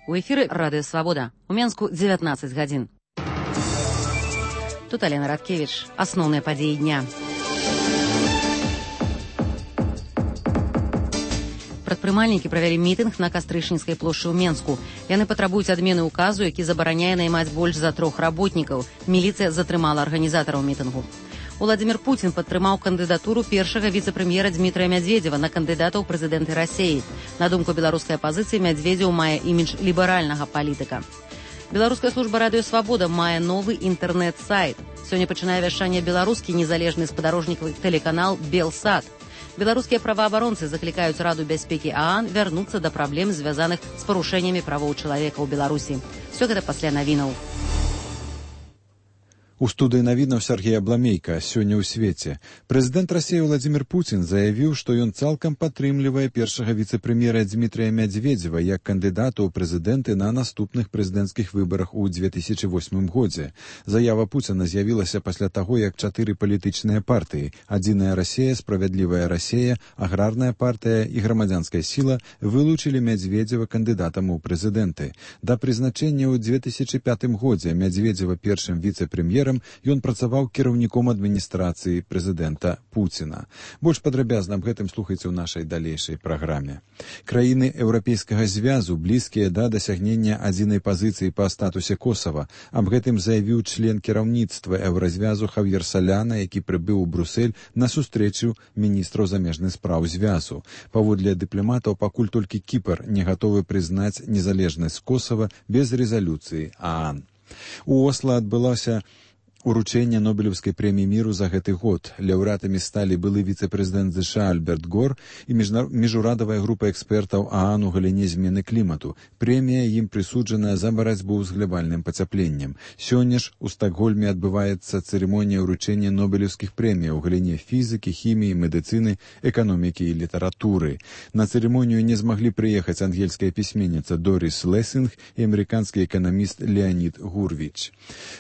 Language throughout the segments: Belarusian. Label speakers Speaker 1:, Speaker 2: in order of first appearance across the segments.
Speaker 1: У эфіры Радыё Свабода. У Менску 19 гадзін. Тут Алена Радкевич. Асноўныя падзеі дня. Прадпрымальнікі правялі мітынг на Кастрычніцкай плошчы ў Менску. Яны патрабуюць адмены ўказу, які забараняе наймаць больш за 3 работнікаў. Міліцыя затрымала арганізатараў мітынгу. Владимир Путин падтрымаў кандыдатуру першага віцэ-прэм'ера Дмітрия Медведева на кандыдата ў прэзідэнты Расіі. На думку беларускай апазіцыі, Медведев мае імідж ліберальнага палітыка. Беларуская служба Радыё Свабода мае новы інтэрнэт-сайт. Сёння пачынае вяшчанне беларускі незалежны спадарожнікавы тэлеканал «Белсат». Беларускія праваабаронцы заклікаюць Раду бяспекі ААН вярнуцца да праблем, звязаных з парушэннямі правоў чалавека ў Беларусі. Всё гэта пасля навінаў.
Speaker 2: У студыі навінаў Сергей Абламейка. Сёння ў свеце. Прэзідэнт Расіі Владимир Путин заявіў, што ён цалкам падтрымлівае першага віцэ-прэм'ера Дмітрия Медведева як кандыдата ў прэзідэнты на наступных прэзідэнцкіх выбарах у 2008 годзе. Заява Путина з'явілася пасля таго, як 4 палітычныя партыі – Адзіная Расія, Справядлівая Расія, Аграрная партыя і Грамадзянская сіла вылучылі Медведева кандыдатам у прэзідэнты. Да прызначэння ў 2005 годзе Медведева першым віцэ-прэм'ерам ён працаваў кіраўніком адміністрацыі прэзідэнта Пуціна. Больш падрабязна аб гэтым слухайце ў нашай далейшай праграме. Краіны Еўрапейскага звязу блізкія да дасягнення адзінай пазіцыі па статусе Косава. Аб гэтым заявіў член кіраўніцтва Еўразвязу Хавьер Соляна, які прыбыў у Брюссель на сустрэчу міністраў замежных спраў звязу. Паводле дыпламатаў, пакуль толькі Кіпр не гатовы прызнаць незалежнасць Косава без рэзалюцыі ААН. У Осла адбылося уручэнне Нобелеўскай прэміі міру за гэты год. Лаўрэатамі сталі былы віцэ-прэзідэнт США Альберт Гор і міжурадавая група экспертаў ААН у галіне змены клімату. Прэмія ім прысуджаная за барацьбу з глобальным пацяпленнем. Сёння ж у Стакгольме адбываецца цырымонія ўручэння Нобелеўскіх прэмій у галіне фізікі, хіміі, медыцыны, эканомікі і літаратуры. На цырымонію не змаглі прыехаць ангельская пісьменніца Дорис Лессинг і амерыканскі эканаміст Леонід Гурвіч.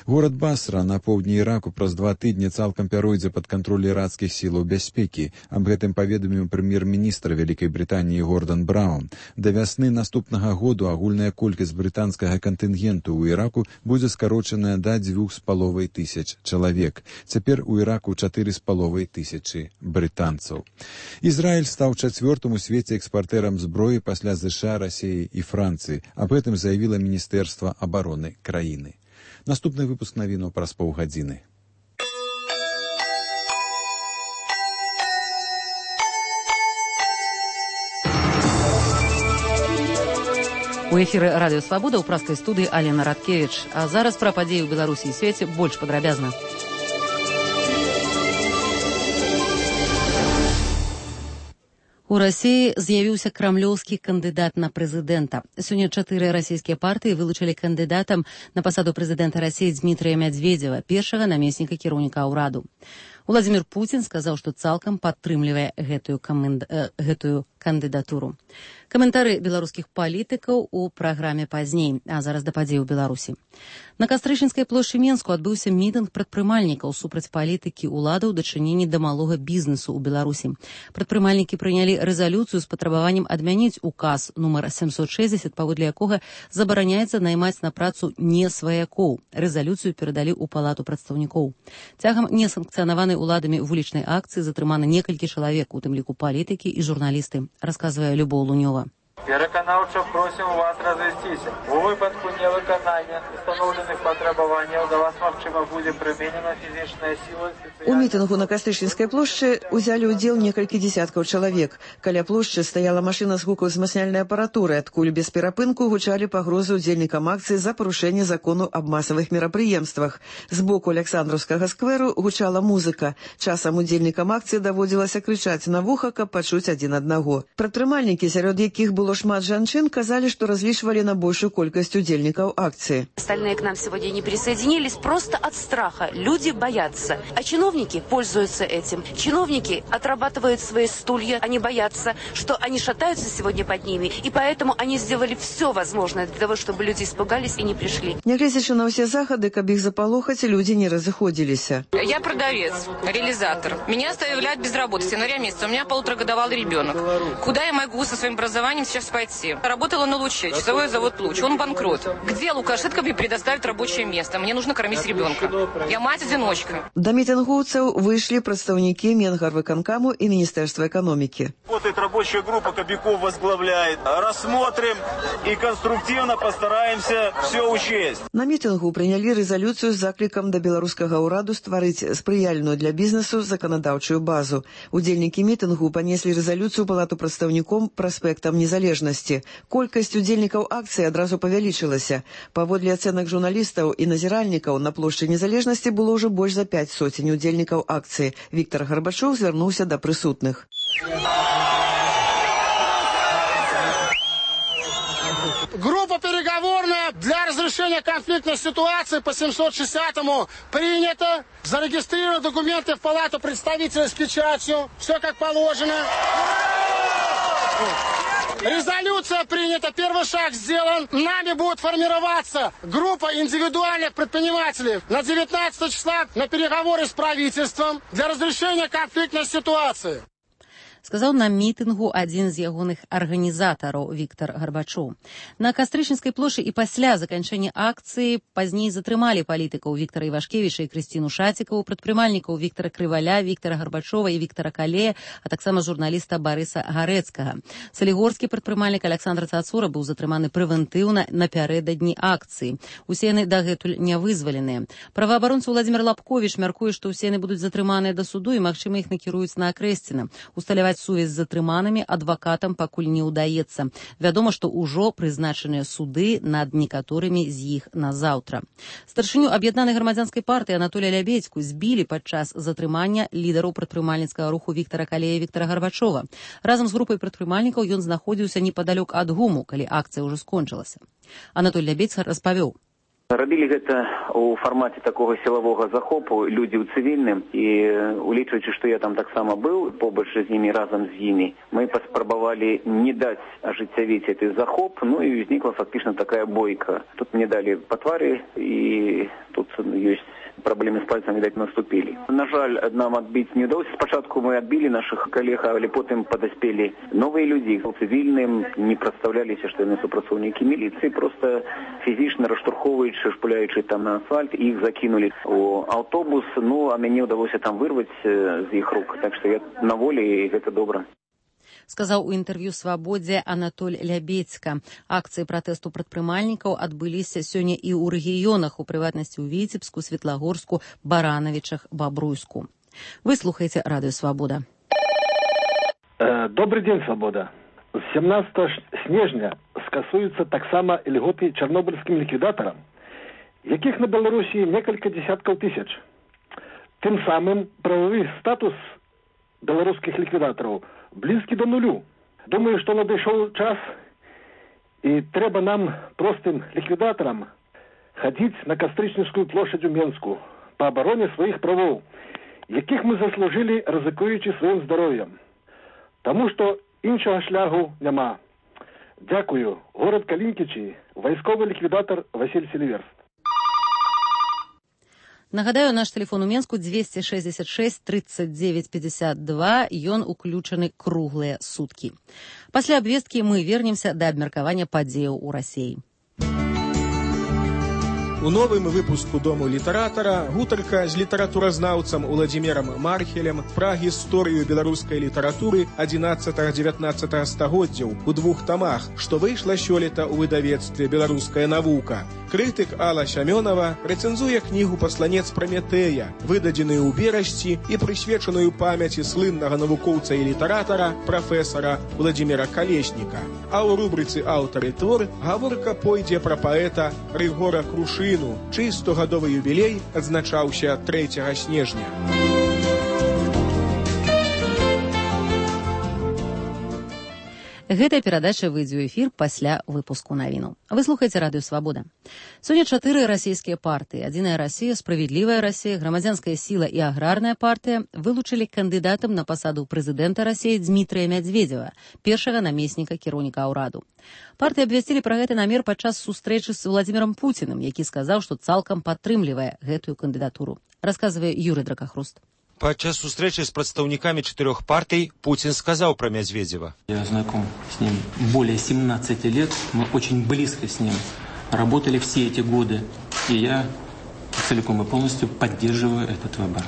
Speaker 2: Горад Басра на поўдні Іраку праз 2 тыдні цалкам пяройдзе пад кантроль ірацкіх сілаў бяспекі. Аб гэтым паведаміў прэм'ер-міністр Вялікай Брытаніі Гордан Браун. Да вясны наступнага году агульная колькасць брытанскага кантынгенту ў Іраку будзе скарочаная да 2500 чалавек. Цяпер у Іраку 4500 брытанцаў. Ізраіль стаў 4-м у свеце экспартэрам зброі пасля США, Расіі і Францыі. Аб гэтым заявіла Міністэрства абароны краіны. Наступны выпуск навінаў праз паўгадзіны.
Speaker 1: У эфіры Радыё Свабода ў праскай студыі Алена Радкевич. А зараз пра падзеі ў Беларусі і свеце больш падрабязна. У Расіі з'явіўся крамлёўскі кандыдат на прэзідэнта. Сёння 4 расійскія партыі вылучылі кандыдатам на пасаду прэзідэнта Расіі Дмітрия Медведева, першага намесніка кіраўніка ўраду. Владимир Путин сказаў, што цалкам падтрымлівае гэтую кандыдатуру. Каментары беларускіх палітыкаў у праграме пазней, а зараз да падзей у Беларусі. На Кастрычніцкай плошчы Менску адбыўся мітынг прадпрымальнікаў супраць палітыкі ўладаў у дачыненні да малога бізнесу ў Беларусі. Прадпрымальнікі прынялі рэзалюцыю з патрабаваннем адмяніць указ нумар 760, паводле якога забараняецца наймаць на працу не сваякоў. Рэзалюцыю перадалі ў палату прадстаўнікоў. Цягам несанкцыянаванай уладамі вулічнай акцыі затрымана некалькі чалавек, у тым ліку палітыкі і журналісты, расказвае Любоў Лунёва.
Speaker 3: Пераканаўча просім вас развесціся. У выпадку невыканання установленых патрабаванняў да вас, магчыма, будзе прыменена фізічная сіла.
Speaker 4: У мітынгу на Кастрычніцкай плошчы узялі ўдзел некалькі дзесяткаў чалавек. Каля плошчы стаяла машына з гукаўзмацняльнай апаратуры, адкуль без перапынку гучалі пагрозы ўдзельнікам акцыі за парушэнне закону аб масавых мерапрыемствах. З боку Александраўскага скверу гучала музыка. Часам удзельнікам акцыі даводзілася крычаць на вуха, каб пачуць адзін аднаго. Прадпрымальнікі, сярод якіх было шмат жанчын, казали, что различивали на большую колькость удельников акции.
Speaker 5: Остальные к нам сегодня не присоединились просто от страха. Люди боятся. А чиновники пользуются этим. Чиновники отрабатывают свои стулья. Они боятся, что они шатаются сегодня под ними. И поэтому они сделали все возможное для того, чтобы люди испугались и не пришли.
Speaker 4: Нягледзячы на все заходы, каб их заполохать, люди не разыходились.
Speaker 6: Я продавец, реализатор. Меня оставляют без работы с января месяца. У меня 1,5-годовалый ребенок. Куда я могу со своим образованием сейчас сейчас пойти. Работала на Луче, часовой завод Луч. Он банкрот. Где Лукашенко мне предоставит рабочее место? Мне нужно кормить ребенка. Я мать-одиночка.
Speaker 4: Да мітингоўцаў выйшлі прадстаўнікі Менгарвыканкаму і Міністэрства эканомікі.
Speaker 7: Работает рабочая группа, Кобяков возглавляет. Рассмотрим и конструктивно постараемся все учесть.
Speaker 4: На мітынгу прынялі рэзалюцыю з заклікам да беларускага ўраду стварыць спрыяльную для бізнесу заканадаўчую базу. Удзельнікі мітынгу панеслі рэзалюцыю палату прадстаўніком праспектам незалежнасці. Колькасць удзельнікаў акцыі адразу павялічылася. Паводле ацэнак журналістаў і назіральнікаў, на плошчы незалежнасці было ўжо больш за 5 сотень удзельнікаў акцыі. Віктор Гарбачоў звярнуўся да прысутных.
Speaker 8: Группа переговорная для разрешения конфликтной ситуации по 760-му принята. Зарегистрированы документы в палату представителей с печатью. Все как положено. Резолюция принята, первый шаг сделан. Нами будет формироваться группа индивидуальных предпринимателей на 19 числа на переговоры с правительством для разрешения конфликтной ситуации.
Speaker 1: Сказаў на мітынгу адзін з ягоных арганізатараў Віктор Гарбачоў. На Кастрычніцкай плошчы і пасля заканчэння акцыі пазней затрымалі палітыкаў Віктара Івашкевіча і Крысціну Шацікаву, прадпрымальнікаў Віктара Крываля, Віктара Гарбачова і Віктара Калея, а таксама журналіста Барыса Гарэцкага. Салігорскі прадпрымальнік Александр Цацура быў затрыманы прэвентыўна напярэдадні акцыі. Усе яны дагэтуль не вызваленыя. Праваабаронца Владзімір Лапковіч мяркуе, што ўсе яны будуць затрыманыя да суду і, магчыма, іх накіруюць на Акрэсціна. Усталяваць сувязь з затрыманымі адвакатам пакуль не ўдаецца. Вядома, што ўжо прызначаныя суды над некаторымі з іх на заўтра. Старшыню аб'яднанай грамадзянскай партыі Анатолія Лябедзьку збілі падчас затрымання лідараў прадпрымальніцкага руху Віктара Калея і Віктара Гарбачова. Разам з групай прадпрымальнікаў ён знаходзіўся непадалёк ад ГУМу, калі акцыя ўжо скончылася. Анатолій Лябедзька распавёў.
Speaker 9: Рабілі гэта ў фармаце такога сілавога захопу людзі ў цывільным, і улічваючы, што я там таксама быў побач з імі, разам з імі, мы паспрабавалі не даць ажыццявіць гэты захоп, ну і ўзнікла фактычна такая бойка. Тут мне далі па твары, і тут ёсць проблемы с пальцем, видать, наступили. На жаль, нам отбить не удалось. Спочатку мы отбили наших коллег, а потом подоспели новые люди, цивильным, не представлялись, что они супрацовники милиции, просто физично раштурховуючи, шпуляючи там на асфальт, их закинули в автобус, ну, а мне удалось там вырвать из их рук. Так что я на воле, и это добро.
Speaker 1: Сказаў у інтэрв'ю «Свабодзе» Анатоль Лябедзька. Акцыі пратэсту прадпрымальнікаў адбыліся сёння і ў рэгіёнах, у прыватнасці ў Віцебску, Светлагорску, Баранавічах, Бабруйску. Вы слухаеце радыё «Свабода».
Speaker 8: Добрый день, «Свобода». З 17 снежня скасуюцца таксама льготы чарнобыльскім ліквідатарам, якіх на Беларусі некалькі дзесяткаў тысяч. Тым самым прававы статус беларускіх ліквідатараў близкі до нулю. Думаю, что надышоў час, і трэба нам, простым ліквідатарам, хадзіць на Кастрычніцкую плошадь у Менску па абароне сваіх правоў, якіх мы заслужылі, рызыкуючы сваім здароўем. Таму што іншага шляху няма. Дзякую. Горад Калінкічі, вайсковы ліквідатар Васіль Селіверст.
Speaker 1: Нагадаю, наш телефон у Менску 266 39 52, ён уключаны круглыя суткі. Пасля абвесткі мы вернемся да абмеркавання падзеяў у Расіі.
Speaker 10: У новым выпуску «Дому літаратара» гутарка з літаратуразнаўцам Уладзімірам Мархелем пра гісторыю беларускай літаратуры 11-19 стагоддзяў у 2 тамах, што выйшла сёлета ў выдавецтве «Беларуская навука». Крытык Алла Сямёнава рэцэнзуе кнігу «Пасланец Праметэя», выдадзеную ў берасці і прысвечаную памяці слыннага навукоўца і літаратара прафесара Владзіміра Калесніка. А ў рубрыцы «Аўтар і твор» гаворка пойдзе пра паэта Рыгора Крушыну, чый 100-гадовы юбілей адзначаўся 3 снежня.
Speaker 1: Гэтая перадача выйдзе ў эфір пасля выпуску навіну. Вы слухаеце радыё «Свабода». Сёння 4 расійскія партыі: «Адзіная Расія», «Справядлівая Расія», «Грамадзянская сіла» і «Аграрная партыя» вылучылі кандыдатам на пасаду прэзідэнта Расіі Дзмітрыя Мядзведзева, першага намесніка кіраўніка ўраду. Партыі абвясцілі пра гэты намер падчас сустрэчы з Владзімірам Пуціным, які сказаў, што цалкам падтрымлівае гэтую кандыдатуру. Расказвае Юрый Дракахруст.
Speaker 11: Падчас сустрэчы з прадстаўнікамі 4 партый Путин сказал про Медведева.
Speaker 12: Я знаком с ним более 17 лет, мы очень близко с ним работали все эти годы, и я целиком и полностью поддерживаю этот выбор.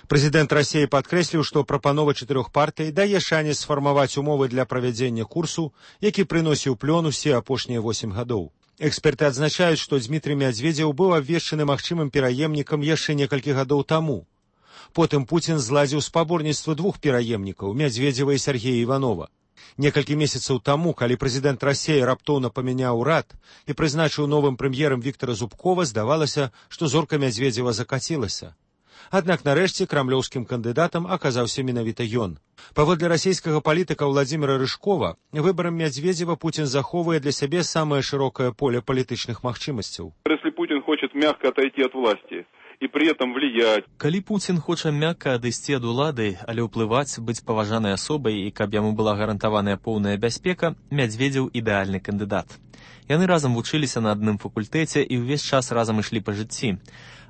Speaker 11: Прэзідэнт Расіі падкрэсліў, што прапанова 4 партый дае шанец сфармаваць умовы для правядзення курсу, які прыносіў плён усе апошнія 8 гадоў. Эксперты адзначаюць, што Дмітрый Медведзеў быў абвешчаны магчымым пераемнікам яшчэ некалькі гадоў таму. Потым Путин зладзіў спаборніцтва 2 пераемнікаў, Медведзева і Сергея Иванова. Некалькі месяцаў таму, калі прэзідэнт Расіі раптоўна памяняў урад і прызначыў новым прэм'ерам Віктора Зубкова, здавалася, што зорка Медведзева закацілася. Аднак нарэшце крамлёўскім кандыдатам аказаўся менавіта ён. Паводле расійскага палітыка Владзіміра Рыжкова, выбарам Медведзева Путин захоўвае для сябе самае шырокае поле палітычных магчымасцяў.
Speaker 13: Если Путин хочет мягко отойти от власти и при этом влиять.
Speaker 14: Калі Путин хоча мякка адысці ад улады, але ўплываць, быць паважанай асобай і каб яму была гарантаваная поўная бяспека, Медведзеў ідэальны кандыдат. Яны разам вучыліся на адным факультэце і ўвесь час разам ішлі па жыцці.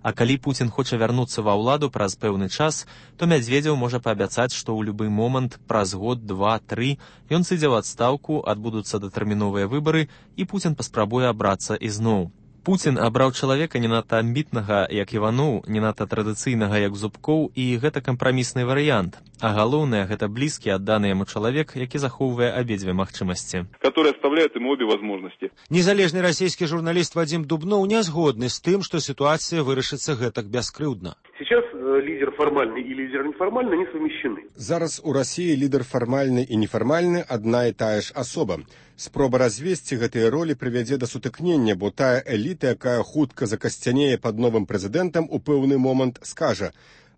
Speaker 14: А калі Путин хоча вярнуцца ва ўладу праз пэўны час, то Медведзеў можа паабяцаць, што ў любы момант, праз год, 2, 3, ён сыдзе ў адстаўку, адбудуцца датэрміновыя выбары, і Путин паспрабуе абрацца ізноў. Путин абраў чалавека не надта амбітнага, як Іваноў, не надта традыцыйнага, як Зубкоў, і гэта кампрамісны варыянт. А галоўнае, гэта блізкі, адданы яму чалавек, які захоўвае абедзве магчымасці.
Speaker 13: Который оставляет ему обе возможности.
Speaker 11: Незалежны расійскі журналіст Вадзім Дубноў не згодны з тым, што сітуацыя вырашыцца гэтак бяскрыўдна.
Speaker 15: Сейчас лидер формальный и лидер неформальный не совмещены.
Speaker 16: Зараз у России лидер формальный и неформальный одна и тая ж особа. Спроба развесці гэтыя ролі прывядзе да сутыкнення, бо тая эліта, якая хутка закасцянее пад новым прэзідэнтам, у пэўны момант скажа: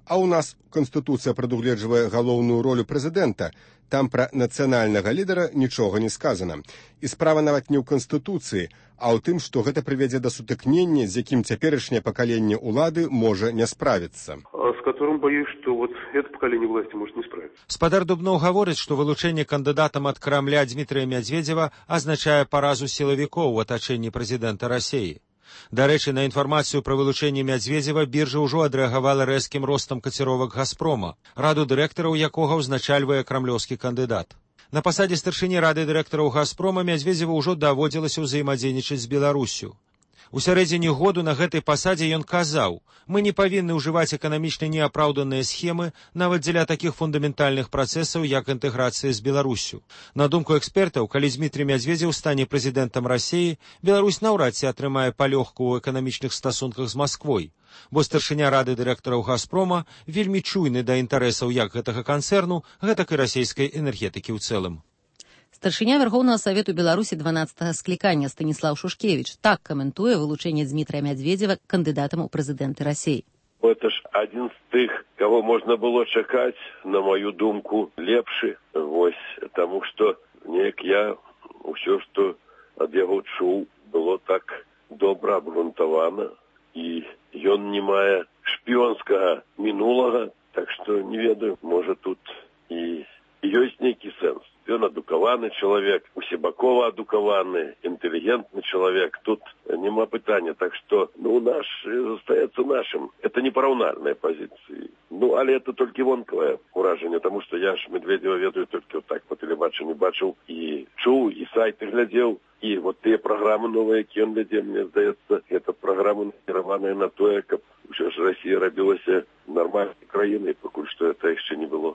Speaker 16: а ў нас Канстытуцыя прадугледжвае галоўную ролю прэзідэнта, там пра нацыянальнага лідара нічога не сказана. І справа нават не ў Канстытуцыі, а ў тым, што гэта прывядзе да сутыкнення, з якім цяперашняе пакаленне ўлады можа не справіцца.
Speaker 15: С которым, боюсь, что вот это поколение власти может не справиться.
Speaker 11: Спадар Дубноў гаворыць, што вылучэнне кандыдатам ад Крамля Дмітрыя Медведзева азначае паразу сілавікоў у атачэнні прэзідэнта Расіі. Дарэчы, на інфармацыю пра вылучэнне Медведзева біржа ўжо адрэагавала рэзкім ростам каціровак «Газпрома», раду дырэктараў якога ўзначальвае крамлёўскі кандыдат. На пасадзе старшыні рады дырэктараў «Газпрома» Медведзеву ўжо даводзілася ўзаемадзейнічаць з Беларуссю. У сярэдзіне году на гэтай пасадзе ён казаў: «Мы не павінны ўжываць эканамічна неапраўданыя схемы нават дзеля такіх фундаментальных працэсаў, як інтэграцыя з Беларуссю». На думку экспертаў, калі Дмітрый Медведзеў стане прэзідэнтам Расіі, Беларусь наўрад ці атрымае палёгку ў эканамічных стасунках з Масквой, бо старшыня рады дырэктараў «Газпрома» вельмі чуйны да інтарэсаў як гэтага канцэрну, гэтак і расійскай энергетыкі ў цэлым.
Speaker 1: Старшыня Вярхоўнага Савету Беларусі 12-го склікання Станіслав Шушкевич так каментуе вылучэнне Дмітрия Медведзева кандыдатам у прэзідэнты Расіі.
Speaker 17: Это ж адзін з тых, кого можна было чакаць, на маю думку, лепшы. Вось, таму што неяк я ўсё, што ад яго чуў, было так добра абгрунтавана, і ён не мае шпіёнскага мінулага, так што не ведаю, можа тут і ёсць нейкі сэнс. Ён адукаваны чалавек, усебакова адукаваны, інтэлігентны чалавек. Тут няма пытання. Так што, наш застаецца нашым. Это непараўнальныя пазіцыі. Але это толькі вонкавае ўражанне, таму што я ж Медведзева ведаю толькі так па тэлебачанню бачыў і чуў, і сайты глядзеў. І вот тыя праграмы новыя, які ён вядзе, мне здаецца, гэта праграмы накіраваныя на тое, каб ўсё ж Расія рабілася нармальнай краінай, пакуль што это яшчэ не было.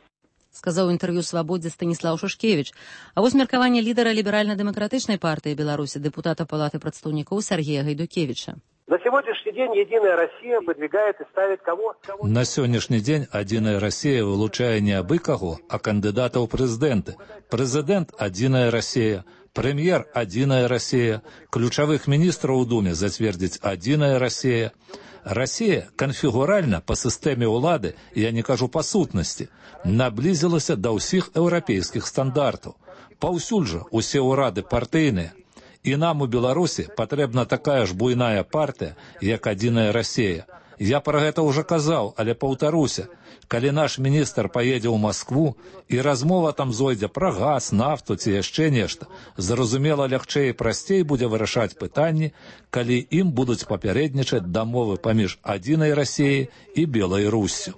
Speaker 1: Сказаў інтэрв'ю «Свабодзе» Станіслав Шушкевич. А вось меркаванне лідара ліберальна-дэмакратычнай партыі Беларусі, дэпутата Палаты прадстаўнікоў Сергея Гайдукевича.
Speaker 18: На сегодняшний день «Единая Россия» выдвигает и ставит кого?
Speaker 19: На сённяшні дзень «Адзіная Расія» вылучае не абы каго, а кандыдата ў прэзідэнты. Прэзідэнт «Адзіная Расія», прэм'ер «Адзіная Расія», ключавых міністраў у Думе зацвердзіць «Адзіная Расія». Расія канфігуральна па сістэме ўлады, я не кажу па сутнасці, наблізілася да ўсіх еўрапейскіх стандартаў. Паўсюль жа усе ўрады партыйныя. І нам у Беларусі патрэбна такая ж буйная партыя, як «Адзіная Расія». Я пра гэта ўжо казаў, але паўтаруся. Калі наш міністр паедзе ў Маскву і размова там зойдзе пра газ, нафту ці яшчэ нешта, зразумела, лягчэй і прасцей будзе вырашаць пытанні, калі ім будуць папярэднічаць дамовы паміж «Адзінай Расіяй» і Беларуссю.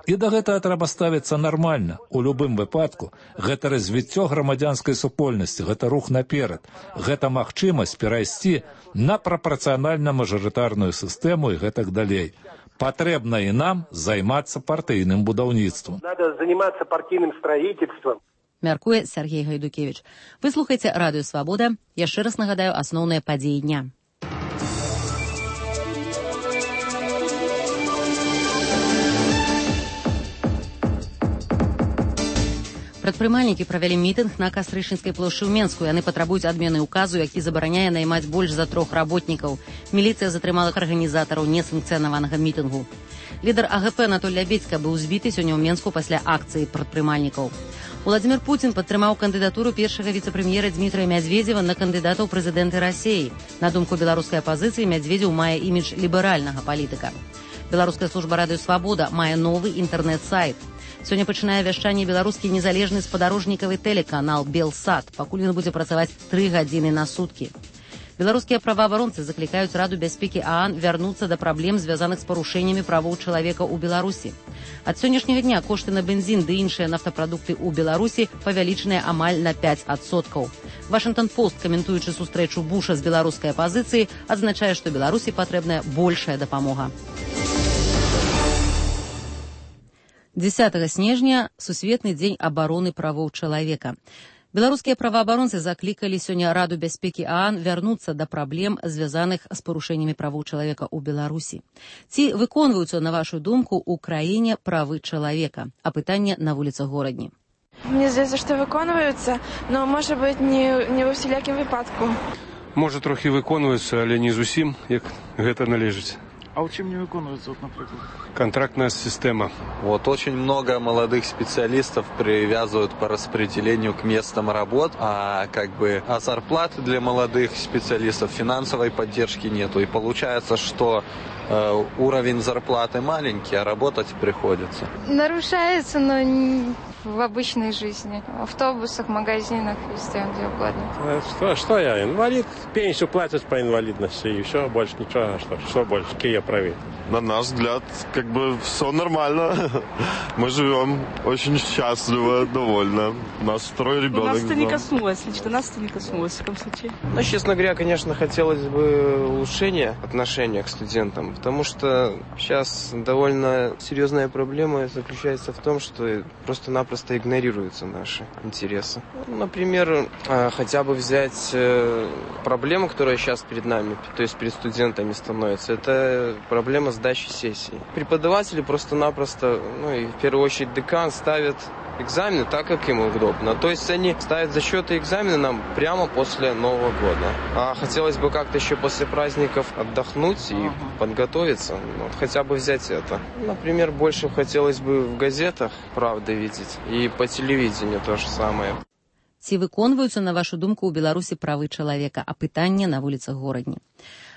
Speaker 19: І да гэтага трэба ставіцца нармальна. У любым выпадку гэта развіццё грамадзянскай супольнасці, гэта рух наперад, гэта магчымасць перайсці на прапарцыянальна-мажарытарную сістэму і гэтак далей. Патрэбна і нам займацца партыйным будаўніцтвам.
Speaker 18: Надо заниматься партийным строительством.
Speaker 1: Мяркуе Сергей Гайдукевич. Вы слухаеце Радыё Свабода. Яшчэ раз нагадаю асноўныя падзеі дня. Прадпрымальнікі правялі мітынг на Кастрычніцкай плошчы ў Менску. Яны патрабуюць адмены ўказу, які забараняе наймаць больш за 3 работнікаў. Міліцыя затрымала арганізатараў несанкцыянаванага мітынгу. Лідар АГП Анатоль Лябедзька быў збіты сёння ў Менску пасля акцыі прадпрымальнікаў. Владзімір Пуцін падтрымаў кандыдатуру першага віцэ-прэм'ера Дмітрыя Мядзведзева на кандыдата ў прэзідэнты Расіі. На думку беларускай апазіцыі, Мядзведзеў мае імідж ліберальнага палітыка. Беларуская служба Радыё Свабода мае новы інтэрнэт-сайт. Сёння пачынае вяшчанне беларускі незалежны спадарожнікавы тэлеканал «Белсат». Пакуль ён будзе працаваць 3 гадзіны на суткі. Беларускія праваабаронцы заклікаюць Раду бяспекі ААН вярнуцца да праблем, звязаных з парушэннямі правоў чалавека ў Беларусі. Ад сённяшняга дня кошты на бензін ды іншыя нафтапрадукты ў Беларусі павялічаныя амаль на 5%. Вашингтон-Пост, каментуючы сустрэчу Буша з беларускай апазіцыяй, адзначае, што Беларусі патрэбная большая дапамога. 10 снежня – Сусветны дзень абароны правоў чалавека. Беларускія праваабаронцы заклікалі сёння Раду бяспекі ААН вярнуцца да праблем, звязаных з парушэннямі правоў чалавека ў Беларусі. Ці выконваюцца, на вашу думку, у краіне правы чалавека? А пытанне на вуліцах горадні.
Speaker 20: Мне здаецца, што выконваюцца, но, можа быць, не ва ўсялякім выпадку.
Speaker 21: Можа, трохі выконваюцца, але не зусім, як гэта належыць.
Speaker 22: А у чем не выконывается, вот, например?
Speaker 21: Контрактная система.
Speaker 23: Вот очень много молодых специалистов привязывают по распределению к местам работ, а зарплаты для молодых специалистов, финансовой поддержки нету. И получается, что уровень зарплаты маленький, а работать приходится.
Speaker 24: Нарушается, но в обычной жизни. В автобусах, магазинах, везде, где угодно.
Speaker 25: Что я, инвалид? Пенсию платят по инвалидности, и все, больше ничего. Что больше? Какие я правы?
Speaker 26: На наш взгляд, все нормально. Мы живем очень счастливо, довольно. У нас 2 ребенок.
Speaker 22: Нас это не коснулось, лично нас это не коснулось, в таком случае.
Speaker 27: Ну, честно говоря, конечно, хотелось бы улучшения отношения к студентам, потому что сейчас довольно серьезная проблема заключается в том, что просто-напросто игнорируются наши интересы. Например, хотя бы взять проблему, которая сейчас перед нами, то есть перед студентами становится, это проблема сдачи сессий. Преподаватели просто-напросто, и в первую очередь декан, ставят экзамены так, как им удобно. То есть они ставят зачеты и экзамены нам прямо после Нового года. А хотелось бы как-то еще после праздников отдохнуть и подготовиться. Хотя бы взять это. Например, больше хотелось бы в газетах правды видеть. И по телевидению то же самое.
Speaker 1: Ці выконваюцца, на вашу думку, у Беларусі правы чалавека? А пытанне на вуліцах горадні.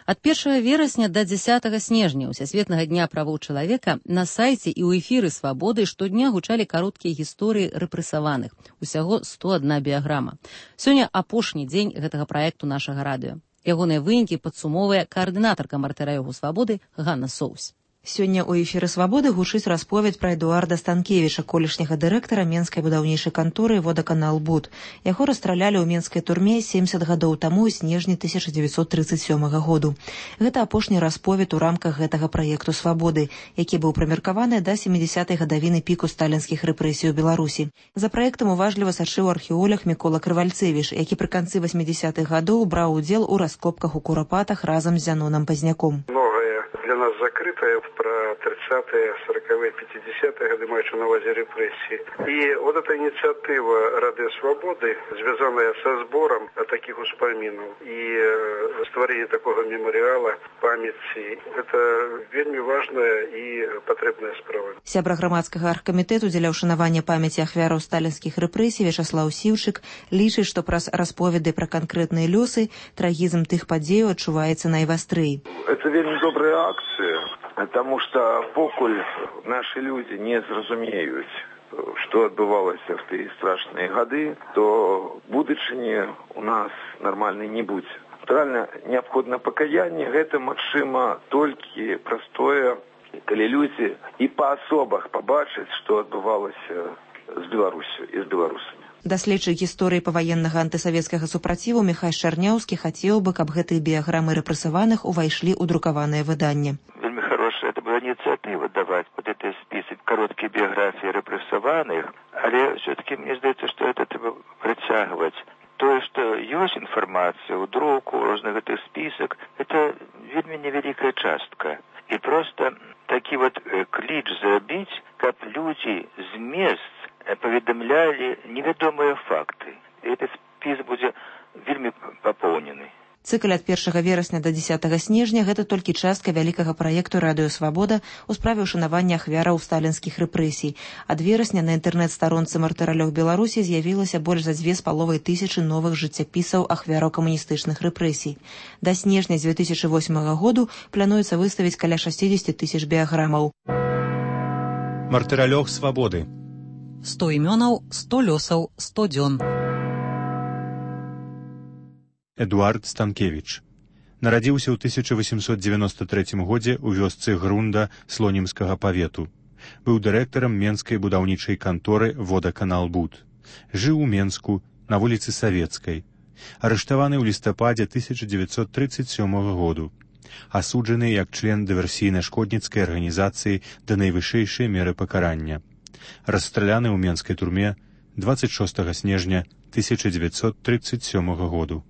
Speaker 1: Ад 1 верасня до 10 снежня Усесветнага дня правоў чалавека на сайце і ў эфіры Свабоды штодня гучалі кароткія гісторыі рэпрэсаваных. Усяго 101 біяграма. Сёння апошні дзень гэтага праекту нашага радыё. Ягоныя вынікі падсумоўвае каардынатарка Мартыраёгу Свабоды Ганна Соус.
Speaker 28: Сёння ў эфіры Свабоды гучыць расповедь пра Эдуарда Станкевіча, колішняга дырэктара Менскай будаўнічай канторы «Водаканал Буд». Яго расстралялі ў менскай турме 70 гадоў таму ў снежні 1937 году. Гэта апошні расповед у рамках гэтага праекту Свабоды, які быў прымеркаваны да 70-й гадавіны піку сталінскіх рэпрэсій у Беларусі. За праектам уважліва сачыў археолог Мікола Крывальцевіч, які пры канцы 80-х гадоў браў удзел у раскопках у Курапатах разам з Зяноном Пазняком.
Speaker 29: Для нас закрытая про 30-е, 40-е, 50-е годы, маючи на увазі репрессии. И вот эта инициатива Радио Свободы, связанная со сбором таких успоминов и створение такого мемориала памяти, это вельми важная и потребная справа.
Speaker 28: Сябра грамадскага аргкамітэту дзеля ўшанавання памяці ахвяраў сталінскіх рэпрэсій Вячаслаў Сіўчык лічыць, што праз расповеды пра канкрэтныя лёсы трагізм тых падзеяў адчуваецца найвастрэй.
Speaker 30: Это вельми добрая акция, потому что покуль наши люди не зразумеюць, что адбывалася в тыя страшныя гады, то будучыні у нас нормальной не будзе. Натуральна, неабходна пакаянне, гэта, магчыма, толькі простое калі людзі і паасобах пабачаць, што адбывалася з Беларусю і з беларусамі.
Speaker 28: Даследчык гісторыі паваеннага антысавецкага супраціву Міхай Шарняўскі хацеў бы, каб гэтыя біяграмы рэпрэсаваных увайшлі ў друкаванае выданне.
Speaker 2: Вельмі хорошая это была инициатива давать вот этот список коротких биографий репрессованных, але все-таки мне здаецца, что это треба працягваць. То, что есть информация у друку, розных этих список, это вельмі невеликая частка. И просто такі вот клич зрабіць, каб люди з мест поведомляли невядомыя факты. И этот список будзе вельмі папоўнены.
Speaker 28: Цыкл ад 1 верасня до 10 снежня – гэта толькі частка вялікага праекту «Радыё Свабода» у справе ўшанавання ахвяраў сталінскіх рэпрэсій. Ад верасня на інтэрнэт-старонцы мартыралёў Беларусі з'явілася больш за 2500 новых жыццяпісаў ахвяраў камуністычных рэпрэсій. Да снежня 2008 году плануецца выставіць каля 60 000 біяграмаў.
Speaker 11: Мартыралёг Свабоды.
Speaker 1: 100 імёнаў, 100 лёсаў, 100 дзён.
Speaker 11: Эдуард Станкевіч. Нарадзіўся ў 1893 годзе ў вёсцы Грунда Слонімскага павету. Быў дырэктарам Менскай будаўнічай канторы «Водаканалбуд». Жыў у Менску на вуліцы Савецкай. Арыштаваны ў лістападзе 1937 году. Асуджаны як член дыверсійна-шкодніцкай арганізацыі да найвышэйшай меры пакарання. Расстраляны ў менскай турме 26 снежня 1937 году.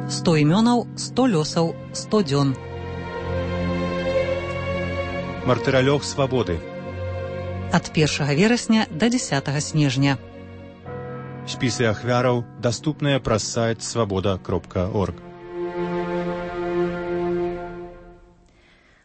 Speaker 1: 100 імёнаў, 100 лёсаў, 100 дзён.
Speaker 11: Мартыралёг Свабоды.
Speaker 1: Ад 1 верасня до 10 снежня.
Speaker 11: Спісы ахвяраў даступныя праз сайт свабода.орг.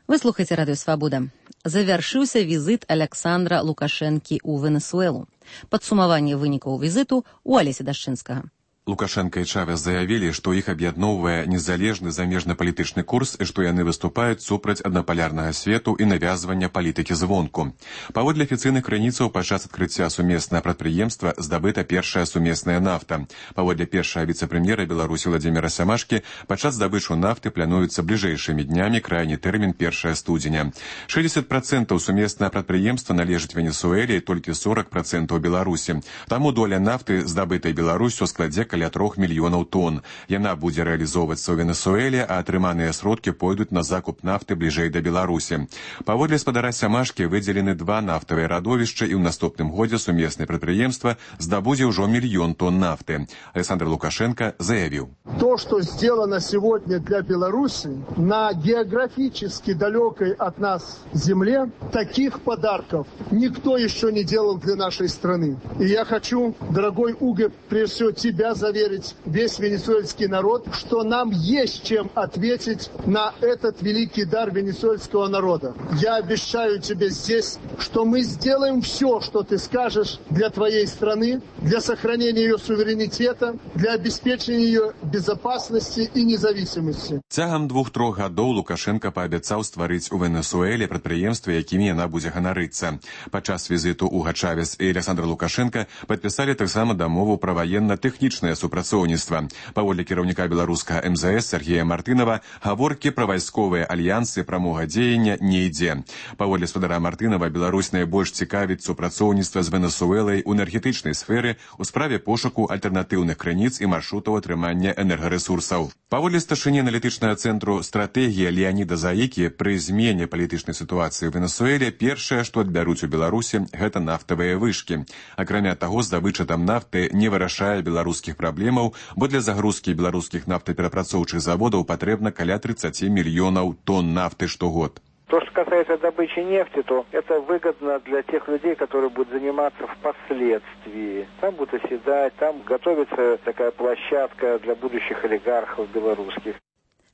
Speaker 1: Вы слухаеце Радыё Свабода. Завяршыўся візіт Аляксандра Лукашэнкі ў Венесуэлу. Падсумаванне вынікаў візіту у Алеся Дашчынскага.
Speaker 3: Лукашенко и Чавес заявили, что их объедновывая незалежный замежно-політычны курс и что яны выступают супраць однополярного свету и навязывания политики звонку. Паводле афіцыйных крыніцаў падчас адкрыцця сумеснага прадпрыемства здабыта першая сумесная нафта. Паводле першага віцэ-прэм'ера Беларусі Владзіміра Сямашкі падчас здабычу нафты плануецца бліжэйшымі днямі крайні тэрмін 1 студзеня. 60% сумеснага прадпрыемства належыць Венесуэле і толькі 40% Беларусі. Таму доля нафты, здабытай Беларусю, складзе каля 3 мільёнаў тонн. Яна будзе рэалізоўвацца ў Венесуэле, а атрыманыя сродкі пойдуць на закуп нафты бліжэй да Беларусі. Паводле спадара Сямашкі выдзелены 2 нафтавыя радовішчы і ў наступным годзе сумеснае прадпрыемства здабудзе ўжо 1 мільён тонн нафты. Александр Лукашенко заявил.
Speaker 4: То, что сделано сегодня для Беларуси на географически далекой от нас земле, таких подарков никто еще не делал для нашей страны. И я хочу, дорогой Уго, прежде всего тебя заверить, весь венесуэльский народ, что нам есть чем ответить на этот великий дар венесуэльского народа. Я обещаю тебе здесь, что мы сделаем все, что ты скажешь для твоей страны, для сохранения ее суверенитета, для обеспечения ее безопасности и независимости.
Speaker 3: Цягам 2-3 гадоў Лукашенко паабяцаў стварыць у Венесуэле прадпрыемствы, якімі яна будзе ганарыцца. Падчас візіту Уго Чавес і Александр Лукашенко падпісалі таксама дамову пра ваенна-тэхнічнае супрацоўніцтва. Паводле кіраўніка беларускага МЗС Сергея Мартынова, гаворкі пра вайсковыя альянсы прамога дзеяння не ідзе. Паводле спадара Мартынова, Беларусь найбольш цікавіць супрацоўніцтва з Венесуэлай у энергетычнай сферы у справе пошуку альтэрнатыўных крыніц і маршрутаў атрымання энергарэсурсаў. Паводле старшыні аналітычнага цэнтру «Стратэгія» Леаніда Заікі, пры змене палітычнай сітуацыі ў Венесуэле першае, што адбяруць у Беларусі, гэта нафтавыя вышкі. Акрамя таго, здабыча там нафты не вырашае беларускіх праблемаў, бо для загрузкі беларускіх нафтаперапрацоўчых заводаў патрэбна каля 30 мільёнаў тонн нафты штогод.
Speaker 18: То, что касается добычи нефти, то это выгодно для тех людей, которые будут заниматься впоследствии. Там будут оседать, там готовится такая площадка для будущих олигархов белорусских.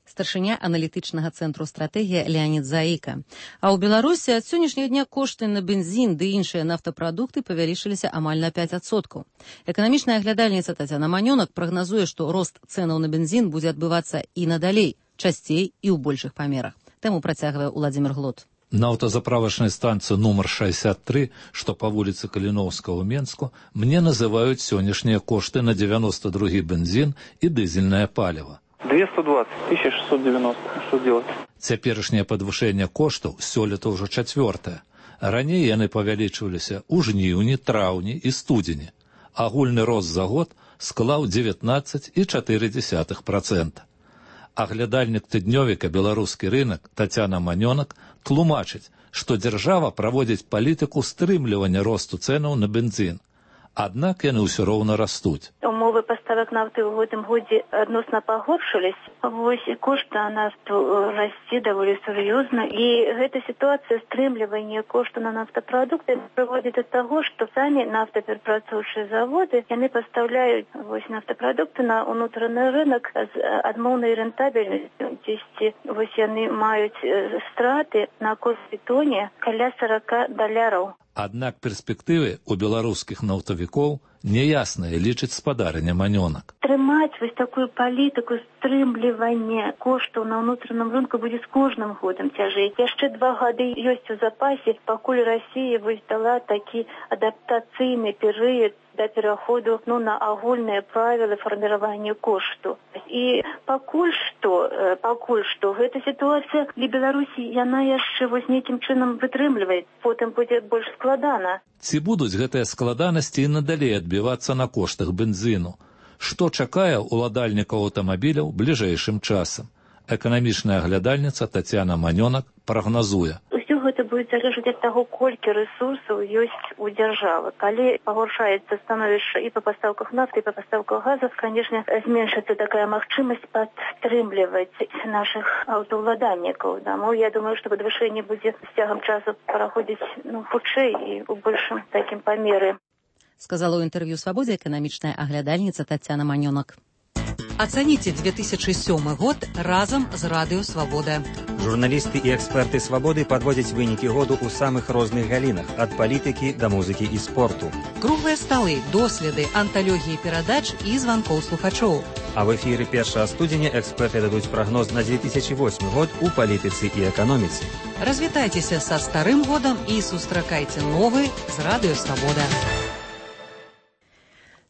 Speaker 1: Старшыня аналітычнага цэнтру «Стратэгія» Леанід Заіка. А ў Беларусі ад сённяшняга дня кошты на бензін ды іншыя нафтапрадукты павялічыліся амаль на 5%. Эканамічная аглядальніца Тацяна Манёнак прагназуе, што рост цэнаў на бензін будзе адбывацца і надалей, часцей і ў большых памерах. Тэму працягвае Уладзімір Глот.
Speaker 19: На аўтазаправачнай станцыі нумар 63, што па вуліцы Каліноўскага ў Менску, мне называюць сённяшнія кошты на 92-гі бензін і дызельнае паліва.
Speaker 22: 220, 1690. Что делать?
Speaker 19: Цяперашняе падвышэнне коштаў сёлета ўжо 4. Раней яны павялічваліся ў жніўні, траўні і студзені. Агульны рост за год склаў 19,4%. Аглядальнік тыднёвіка «Беларускі рынак» Тацяна Манёнак тлумачыць, што дзяржава праводзіць палітыку стрымлівання росту цэнаў на бензін. Аднак яны ўсё роўна растуць.
Speaker 5: Умовы паставак нафты ў гэтым годзе адносна пагоршылись. Вось кошт на нафту расце даволі сур'ёзна. І гэта сітуацыя стрымлівання кошту на нафтапрадукты прыводзіць да таго, што самі нафтаперапрацоўчыя заводы яны пастаўляюць нафтапрадукты на ўнутраны рынок з адмоўнай рэнтабельнасцю. Дзесьці яны маюць страты на кожнай тоне каля $40.
Speaker 19: Аднак перспектывы ў беларускіх нафтавікоў няясныя, лічыць спадарня Манёнак.
Speaker 5: Трымаць такую палітыку стрымлівання коштаў на ўнутраным рынку будзе з кожным годам цяжэй. Яшчэ 2 гады ёсць у запасе, пакуль Расія дала такі адаптацыйны перыяд да пераходу на агульныя правілы фарміравання кошту. І пакуль што гэта сітуацыя для Беларусі яна яшчэ нейкім чынам вытрымлівае, потым будзе больш складана.
Speaker 19: Ці будуць гэтыя складанасці і надалей адбівацца на коштах бензіну? Што чакае ўладальнікаў аўтамабіляў бліжэйшым часам? Эканамічная аглядальніца Тацяна Манёнак прагназуе.
Speaker 5: Усё гэта будзе залежаць ад таго, колькі рэсурсаў ёсць у дзяржавы. Калі пагоршаецца становішча і па пастаўках нафты, і па пастаўках газу, канешне, зменшыцца такая магчымасць падтрымліваць нашых аўтаўладальнікаў. Таму я думаю, што падвышэнне будзе з цягам часу праходзіць хутчэй і ў большым такім памеры.
Speaker 1: Сказала ў інтэрв'ю «Свабодзе» эканамічная аглядальніца Тацяна Манёнак.
Speaker 6: Ацаніце 2007 год разам з Радыё Свабода.
Speaker 7: Журналісты і эксперты «Свабоды» падводзяць вынікі году ў самых розных галінах, ад палітыкі да музыкі і спорту.
Speaker 6: Круглыя сталы, доследы, анталогіі перадач і званкоў слухачоў.
Speaker 7: А в эфіры 1 студзеня эксперты дадуць прагноз на 2008 год у палітыцы і эканоміцы.
Speaker 6: Развітайцеся са старым годам і сустракайце новы з Радыё Свабода.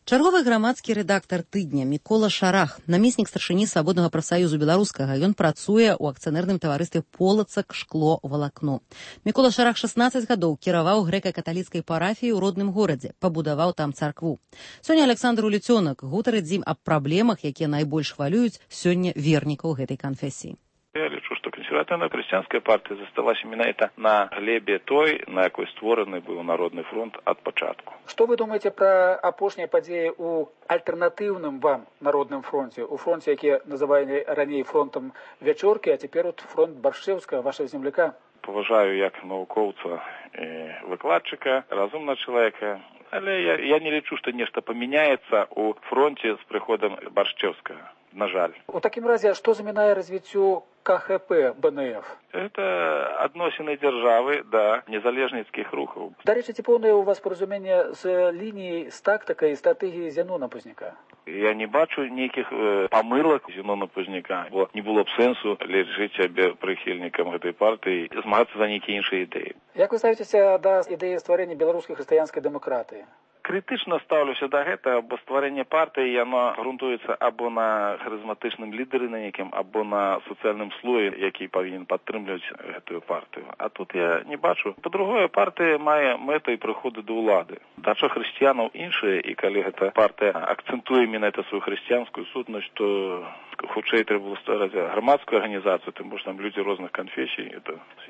Speaker 1: Чарговы грамадскі рэдактар тыдня Мікола Шарах, намеснік старшыні Свабоднага прафсаюзу беларускага. Ён працуе ў акцыянерным таварыстве «Полацак шкло валакно». Мікола Шарах 16 гадоў кіраваў грэка-каталіцкай парафіяй у родным горадзе, пабудаваў там царкву. Сёння Александр Улюцёнак гутарыць з ім аб праблемах, якія найбольш хвалююць сёння вернікаў гэтай канфесіі.
Speaker 2: Я лічу, што кансерватыўная хрысціянская партыя засталася менавіта на глебе той, на якой створаны быў Народны фронт ад пачатку.
Speaker 8: Што вы думаеце пра апошнія падзеі ў альтэрнатыўным вам Народным фронце, у фронце, які называлі раней фронтам Вячоркі, а цяпер фронт Баршчэўскага, вашага земляка?
Speaker 2: Паважаю як навукоўца і выкладчыка, разумнага чалавека, але я не лічу, што нешта памяняецца ў фронце з прыходам Баршчэўскага. На жаль.
Speaker 8: У такім разе, што замінае развіццю КХП БНФ?
Speaker 2: Это адносіны дзяржавы да незалежніцкіх рухаў.
Speaker 8: Дарэчы, ці поўнае у вас паразуменне з лініяй, з тактыкай, стратэгіяй Зянона Пазняка?
Speaker 2: Я не бачу нейкіх памылак Зянона Пазняка, бо не было б сэнсу лічыць сябе прыхільнікам гэтай партыі, змагацца за нейкія іншыя ідэі.
Speaker 8: Як вы ставіцеся да ідэі стварэння беларускай хрысціянскай дэмакратыі?
Speaker 2: Крытычна стаўлюся да гэтага, бо стварэнне партыі яно грунтуецца або на харызматычным лідары на нейкім, або на сацыяльным слоі, які павінен падтрымліваць гэтую партыю. А тут я не бачу. Па-другое, партыя мае мэтай прыходу да ўлады. Дача хрысціянаў іншая, і калі гэта партыя акцэнтуе менавіта сваю хрысціянскую сутнасць, то хутчэй трэба было ствараць грамадскую арганізацыю, тым больш там людзі розных канфесій.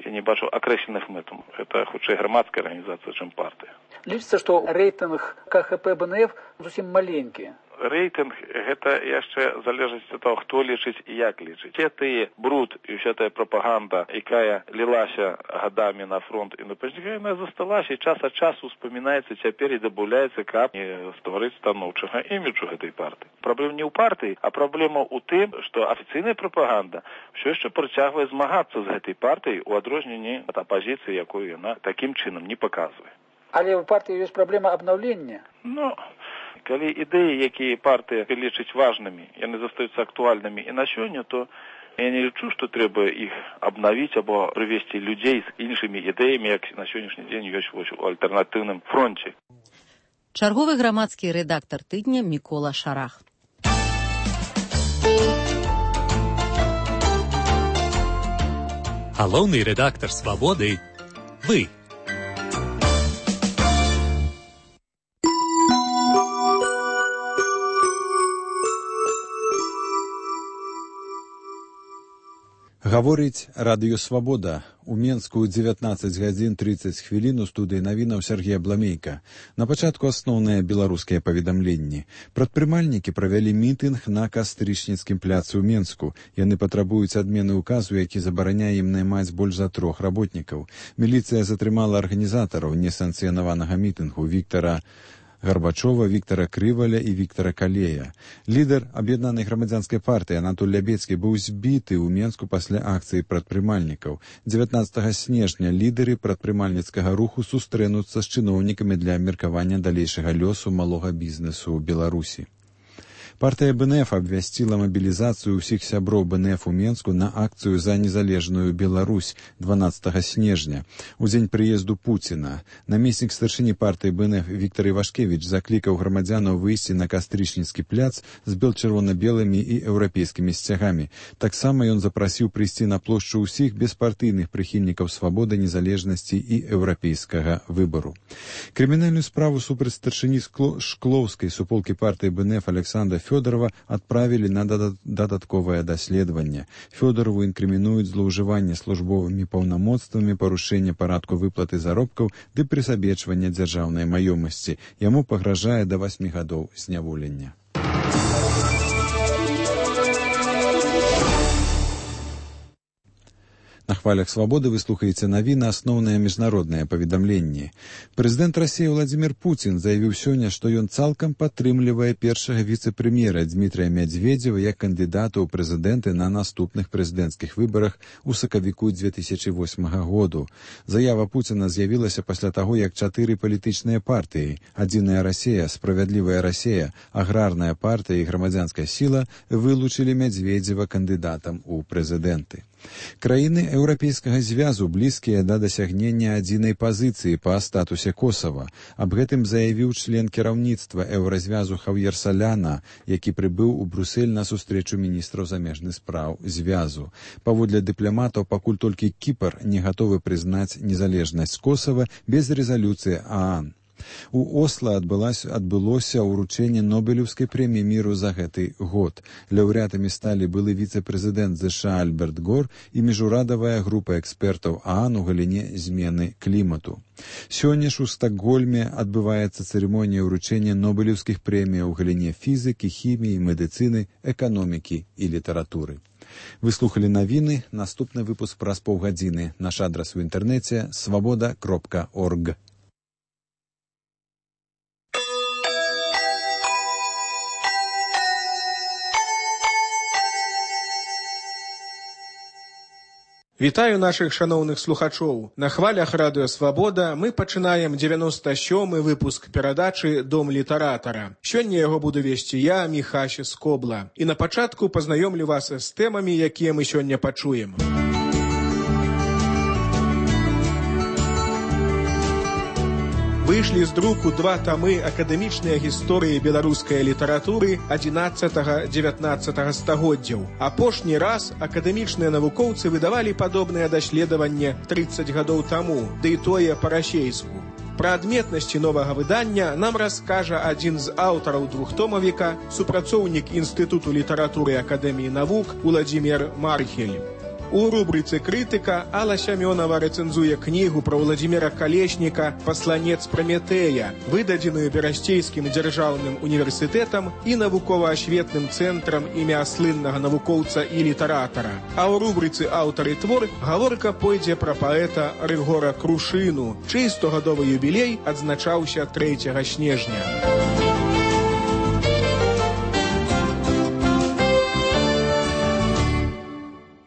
Speaker 2: Я не бачу акрэсленых мэтаў. Гэта хутчэй грамадская арганізацыя, чым партыя.
Speaker 8: Лічыцца, што рэйтынг КХП БНФ зусім маленькі.
Speaker 2: Рэйтынг гэта яшчэ залежыць ад таго, хто лічыць і як лічыць. Гэты бруд і ўся тая прапаганда, якая лілася гадамі на фронт і на Пазняка, яна засталася, і час ад часу успамінаецца цяпер і дабаўляецца, каб не стварыць станоўчага іміджу гэтай партыі. Праблема не ў партыі, а праблема ў тым, што афіцыйная прапаганда ўсё яшчэ працягвае змагацца з гэтай партыяй у адрозненні ад апазіцыі, якую яна такім чынам не паказвае.
Speaker 8: Але ў партыі ёсць праблема абнаўлення.
Speaker 2: Калі ідэі, якія партыя лічыць важнымі, яны застаюцца актуальнымі і на сёння, то я не лічу, што трэба іх абнавіць або прывесці людзей з іншымі ідэямі, як на сённяшні дзень ёсць у альтэрнатыўным фронце.
Speaker 1: Чарговы грамадскі рэдактар тыдня Мікола Шарах.
Speaker 9: Галоўны рэдактар «Свабоды» – вы.
Speaker 10: Гаворыць радыё «Свабода». У Менску 19 гадзін 30 хвілін у студыі навінаў Сергей Абламейка. На пачатку асноўныя беларускія паведамленні. Прадпрымальнікі правялі мітынг на Кастрычніцкім пляцы ў Менску. Яны патрабуюць адмены ўказу, які забараняе ім наймаць больш за 3 работнікаў. Міліцыя затрымала арганізатараў несанкцыянаванага мітынгу Віктара Гарбачова, Віктара Крываля і Віктара Калея. Лідар аб'яднанай грамадзянскай партыі Анатоль Лябецкі быў збіты ў Менску пасля акцыі прадпрымальнікаў. 19 снежня лідары прадпрымальніцкага руху сустрэнуцца з чыноўнікамі для абмеркавання далейшага лёсу малога бізнесу ў Беларусі. Партыя БНФ абвясціла мабілізацыю ўсіх сяброў БНФ у Менску на акцыю за незалежную Беларусь 12 снежня, у дзень прыезду Пуціна. Намеснік старшыні партыі БНФ Віктар Івашкевіч заклікаў грамадзянаў выйсці на Кастрычніцкі пляц з бел-чырвона-белымі і еўрапейскімі сцягамі. Таксама ён запрасіў прыйсці на плошчу ўсіх беспартыйных прыхільнікаў свабоды, незалежнасці і еўрапейскага выбару. Крымінальную справу супраць старшыні Шклоўскай суполкі партыі БНФ Александра Фёдорова адправілі на дадатковае даследаванне. Фёдорову інкрымінуюць злоўжыванне службовымі паўнамоцтвамі, парушэнне парадку выплаты заробкаў ды прысабечвання дзяржаўнай маёмасці. Яму пагражае да 8 гадоў зняволення. На хвалях «Свободы» вы слухаеце навіны, асноўныя міжнародныя паведамленні. Прэзідэнт Расіі Владзімір Пуцін заявіў сёння, што ён цалкам падтрымлівае першага віцэ-прэм'ера Дмітрая Мядзведзева як кандыдата ў прэзідэнты на наступных прэзідэнцкіх выбарах у сакавіку 2008 году. Заява Пуціна з'явілася пасля таго, як 4 палітычныя партыі – «Адзіная Расія», «Справядлівая Расія», «Аграрная партыя» і «Грамадзянская сіла» вылучылі Мядзведзева кандыдатам у прэзідэнты. Краіны Еўрапейскага звязу блізкія да дасягнення адзінай пазіцыі па статусе Косава. Аб гэтым заявіў член кіраўніцтва Еўразвязу Хав'ер Саляна, які прыбыў у Брюссель на сустрэчу міністраў замежных спраў звязу. Паводле дыпламатаў, пакуль толькі Кіпр не гатовы прызнаць незалежнасць Косава без рэзалюцыі ААН. У Осла адбылося ўручэнне Нобелеўскай прэміі міру за гэты год. Лаўрэатамі сталі былы віцэ-прэзідэнт ЗША Альберт Гор і міжурадавая група экспертаў ААН у галіне змены клімату. Сёння ж у Стакгольме адбываецца цырымонія ўручэння Нобелеўскіх прэміяў у галіне фізікі, хіміі, медыцыны, эканомікі і літаратуры. Вы слухали навіны, наступны выпуск праз паўгадзіны. Наш адрас у інтэрнэце svoboda.org.
Speaker 12: Вітаю нашых шаноўных слухачоў. На хвалях радыё «Свабода» мы пачынаем 97-й выпуск перадачы «Дом літаратара». Сёння яго буду весці я, Міхася Скобла. І на пачатку пазнаёмлю вас з тэмамі, якія мы сёння пачуем. Выйшлі з друку 2 тамы акадэмічныя гісторыі беларускай літаратуры 11-19 стагоддзяў. Апошні раз акадэмічныя навукоўцы выдавалі падобнае даследаванне 30 гадоў таму, ды і тое па-расейску. Пра адметнасці новага выдання нам раскажа адзін з аўтараў двухтомавіка, супрацоўнік Інстытуту літаратуры Акадэміі навук Уладзімір Мархель. У рубрыцы «Крытыка» Алла Сямёнова рэцэнзуе кнігу пра Уладзіміра Калешніка «Пасланец Праметэя», выдадзеную Берасцейскім дзяржаўным універсітэтам і навукова-асветным цэнтрам імя слыннага навукоўца і літаратара. А ў рубрыцы «Аўтар і твор» гаворка пойдзе пра паэта Рыгора Крушыну, чый 100-гадовы юбілей адзначаўся 3 снежня.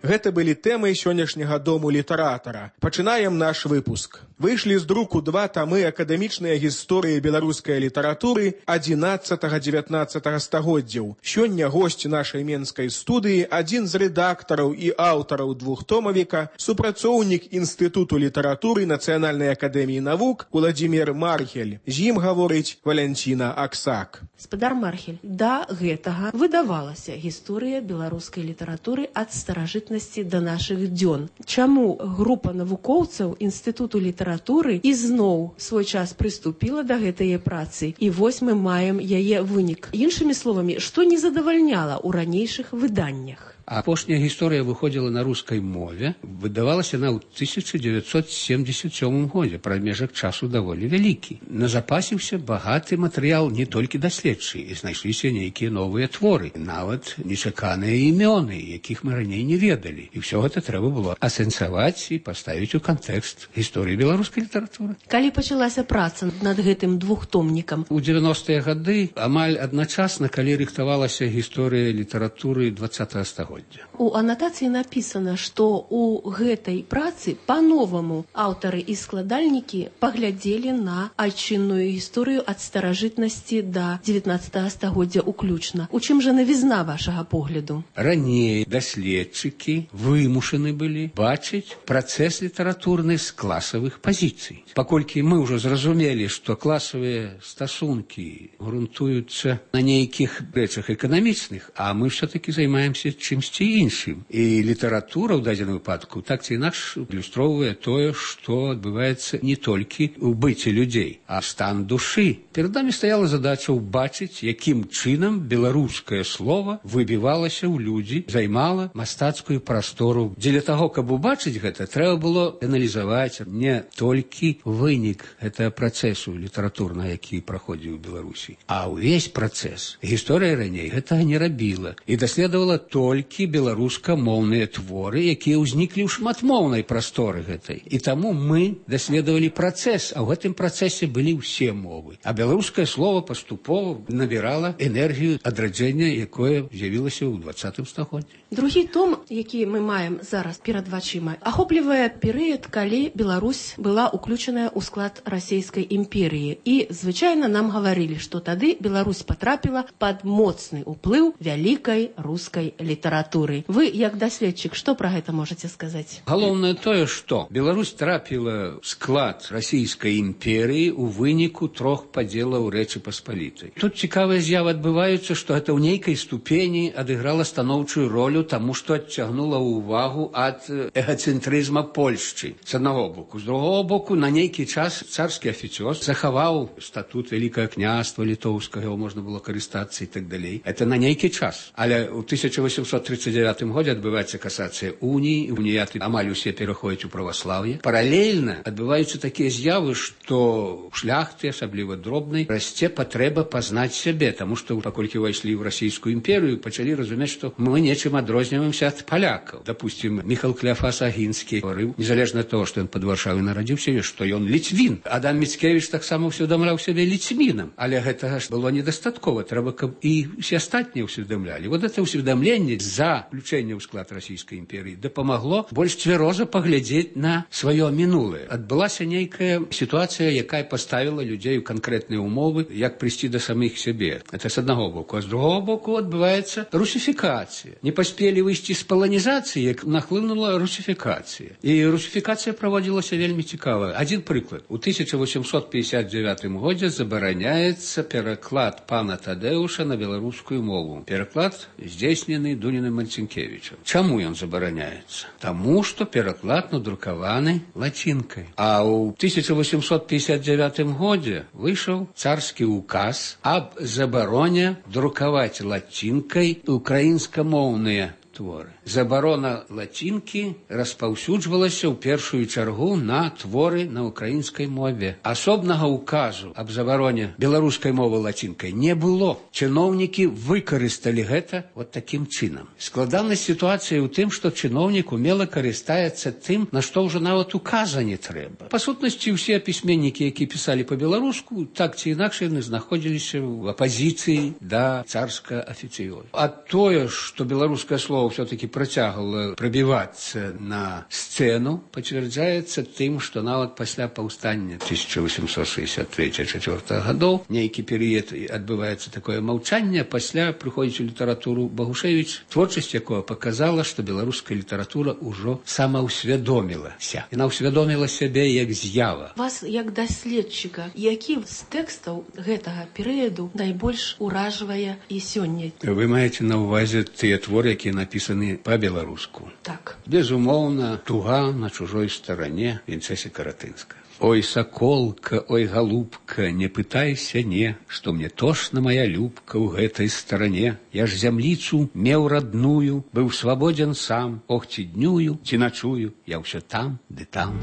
Speaker 12: Гэта былі тэмы сённяшняга дому літаратара. Пачынаем наш выпуск. Выйшлі з друку 2 тамы акадэмічнай гісторыі беларускай літаратуры 11-19 стагоддзяў. Сёння госць нашай менскай студыі, адзін з рэдактараў і аўтараў двухтомавіка, супрацоўнік Інстытуту літаратуры Нацыянальнай акадэміі навук Уладзімір Мархель. З ім гаворыць Валянціна Аксак.
Speaker 13: Спадар Мархель, да гэтага выдавалася гісторыя беларускай літаратуры ад старажытнасці да нашых дзён. Чаму група навукоўцаў Інстытуту літаратуры ізноў свой час прыступіла да гэтай працы, і вось мы маем яе вынік. Іншымі словамі, што не задавальняла ў ранейшых выданнях?
Speaker 14: Апошняя гісторыя выходзіла на рускай мове, выдавалася она ў 1977 годзе, прамежак часу даволі вялікі. Назапасіўся багаты матэрыял не толькі даследчы, і знайшліся нейкія новыя творы, нават нечаканыя імёны, якіх мы раней не ведалі. І ўсё гэта трэба было асэнсаваць і паставіць у кантэкст гісторыі беларускай літаратуры.
Speaker 13: Калі пачалася праца над гэтым двухтомнікам?
Speaker 14: У 90-е гады, амаль адначасна, калі рыхтавалася гісторыя літаратуры 20-го стагоддзя.
Speaker 13: У анатацыі напісана, што ў гэтай працы па-новаму аўтары і складальнікі паглядзелі на айчынную гісторыю ад старажытнасці да 19 стагоддзя уключна. У чым жа навізна вашага погляду?
Speaker 14: Раней даследчыкі вымушаны былі бачыць працэс літаратурны з класавых пазіцый. Паколькі мы ўжо зразумелі, што класавыя стасункі грунтуюцца на нейкіх рэчах эканамічных, а мы ўсё-такі займаемся чымсьці іншым. І літаратура ў дадзеным выпадку так ці інакш ілюстроўвае тое, што адбываецца не толькі ў быце людзей, а стан душы. Перад намі стаяла задача ўбачыць, якім чынам беларускае слова выбівалася ў людзі, займала мастацкую прастору. Дзеля таго, каб убачыць гэта, трэба было аналізаваць не толькі вынік гэтага працэсу літаратурнага, які праходзіў у Беларусі, а ўвесь працэс. Гісторыя раней гэтага не рабіла і даследавала толькі беларускамоўныя творы, якія ўзніклі ў шматмоўнай прасторы гэтай. І таму мы даследавалі працэс, а ў гэтым працэсе былі ўсе мовы. А беларускае слово паступова набірала энергію адраджэння, якое з'явілася ў 20 стагоддзі.
Speaker 13: Другі том, які мы маем зараз перад вачыма, ахоплівае перыяд, калі Беларусь была уключаная ў склад расійскай імперіі. І звычайна нам гаварылі, што тады Беларусь патрапіла пад моцны ўплыў вялікай рускай літаратуры. Вы, як даследчык, што пра гэта можаце сказаць?
Speaker 14: Галоўнае тое, што Беларусь трапіла ў склад расійскай імперіі ў выніку 3 падзелаў Рэчы Паспалітай. Тут цікавая з'ява адбываецца, што гэта ў нейкай ступені адыграла станоўчую ролю, таму што адцягнула ўвагу ад эгацэнтрызма Польшчы. З аднаго боку. З другого боку, на нейкі час царскі афіцёр захаваў статут Вялікае княства літоўскага, можна было карыстацца і так далей. Это на нейкі час. Але ў 1839 годзе адбываецца касацыя уніі, уніяты амаль усе пераходзяць у праваслаўе. Паралельна адбываюцца такія з'явы, што шляхты, асабліва дробнай, расце патрэба пазнаць сябе, таму што паколькі ўвайшлі ў расійскую імперію, пачалі разумець, што мы нечым адрозніваемся ад палякаў. Допустим, Міхал Кляфас Агінскі гаварыў, незалежна ад того, што ён пад Варшавай нарадзіўся, што ён ліцвін. Адам Міцкевіч таксама ўсведамляў сябе ліцвінам. Але гэтага ж было недастаткова. Трэба, каб і ўсе астатнія ўсведамлялі. Вот это ўсведамленне за включэнне ў склад расійскай імперіі дапамагло больш цвяроза паглядзець на сваё мінулае. Адбылася нейкая сітуацыя, якая паставіла людзей у канкрэтныя ўмовы, як прыйсці да самых сябе. Это з аднаго боку. А з другого боку адбываецца русіфікацыя. Не паспелі выйсці з паланізацыі, як нахлынула русіфікацыя. І русіфікацыя праводзілася вельмі цікава. Адзін прыклад. У 1859 годзе забараняецца пераклад пана Тадэуша на беларускую мову. Пераклад здзейснены Дуніным Марцінкевічам. Чаму ён забараняецца? Таму, што пераклад надрукаваны лацінкай. А ў 1859 годзе выйшаў царскі указ аб забароне друкаваць лацінкай украінскамоўныя творы. Забарона лацінкі распаўсюджвалася ў першую чаргу на творы на украінскай мове. Асобнага указу аб забароне беларускай мовы лацінкай не было. Чыноўнікі выкарысталі гэта вот такім чынам. Складанасць сітуацыі ў тым, што чыноўнік умела карыстаецца тым, на што ўжо нават указа не трэба. Па сутнасці, ўсе пісьменнікі, які пісалі па-беларуску, так ці інакш яны знаходзіліся ў апазіцыі да царска афіцыёзу. А тое, што беларускае слово снова все-таки протягивала пробиваться на сцену, подтверждается тем, что нават после повстания 1863-64 годов некий период отбывается такое молчание, после приходит в литературу Богушевич, творчесть якого показала, что белорусская литература уже самоусведомилася. Она усведомила себе як з'ява.
Speaker 13: Вас, як даследчика, які з тэкстаў гэтага перыяду найбольш уражвае і сёння?
Speaker 14: Вы маеце на увазе тыя творы, якія напісаны па-беларуску?
Speaker 13: Так.
Speaker 14: Безумоўна, «Туга на чужой стороне» Вінцэсі Каратынска. Ой, соколка, ой, голубка, не пытайся, не, что мне тошна моя любка у гэтай стороне. Я ж зямліцу меў родную, быў свободен сам, ох, ці днюю, ці ночую, я ўсё там, ды там.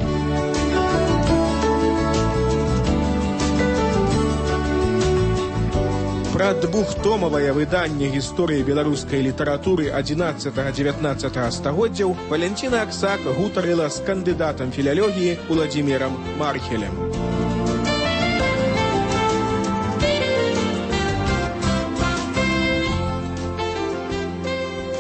Speaker 12: Пра двухтомавае выданне гісторыі беларускай літаратуры 11-19 стагоддзяў Валянціна Аксак гутарыла з кандыдатам філалогіі Уладзімірам Мархелем.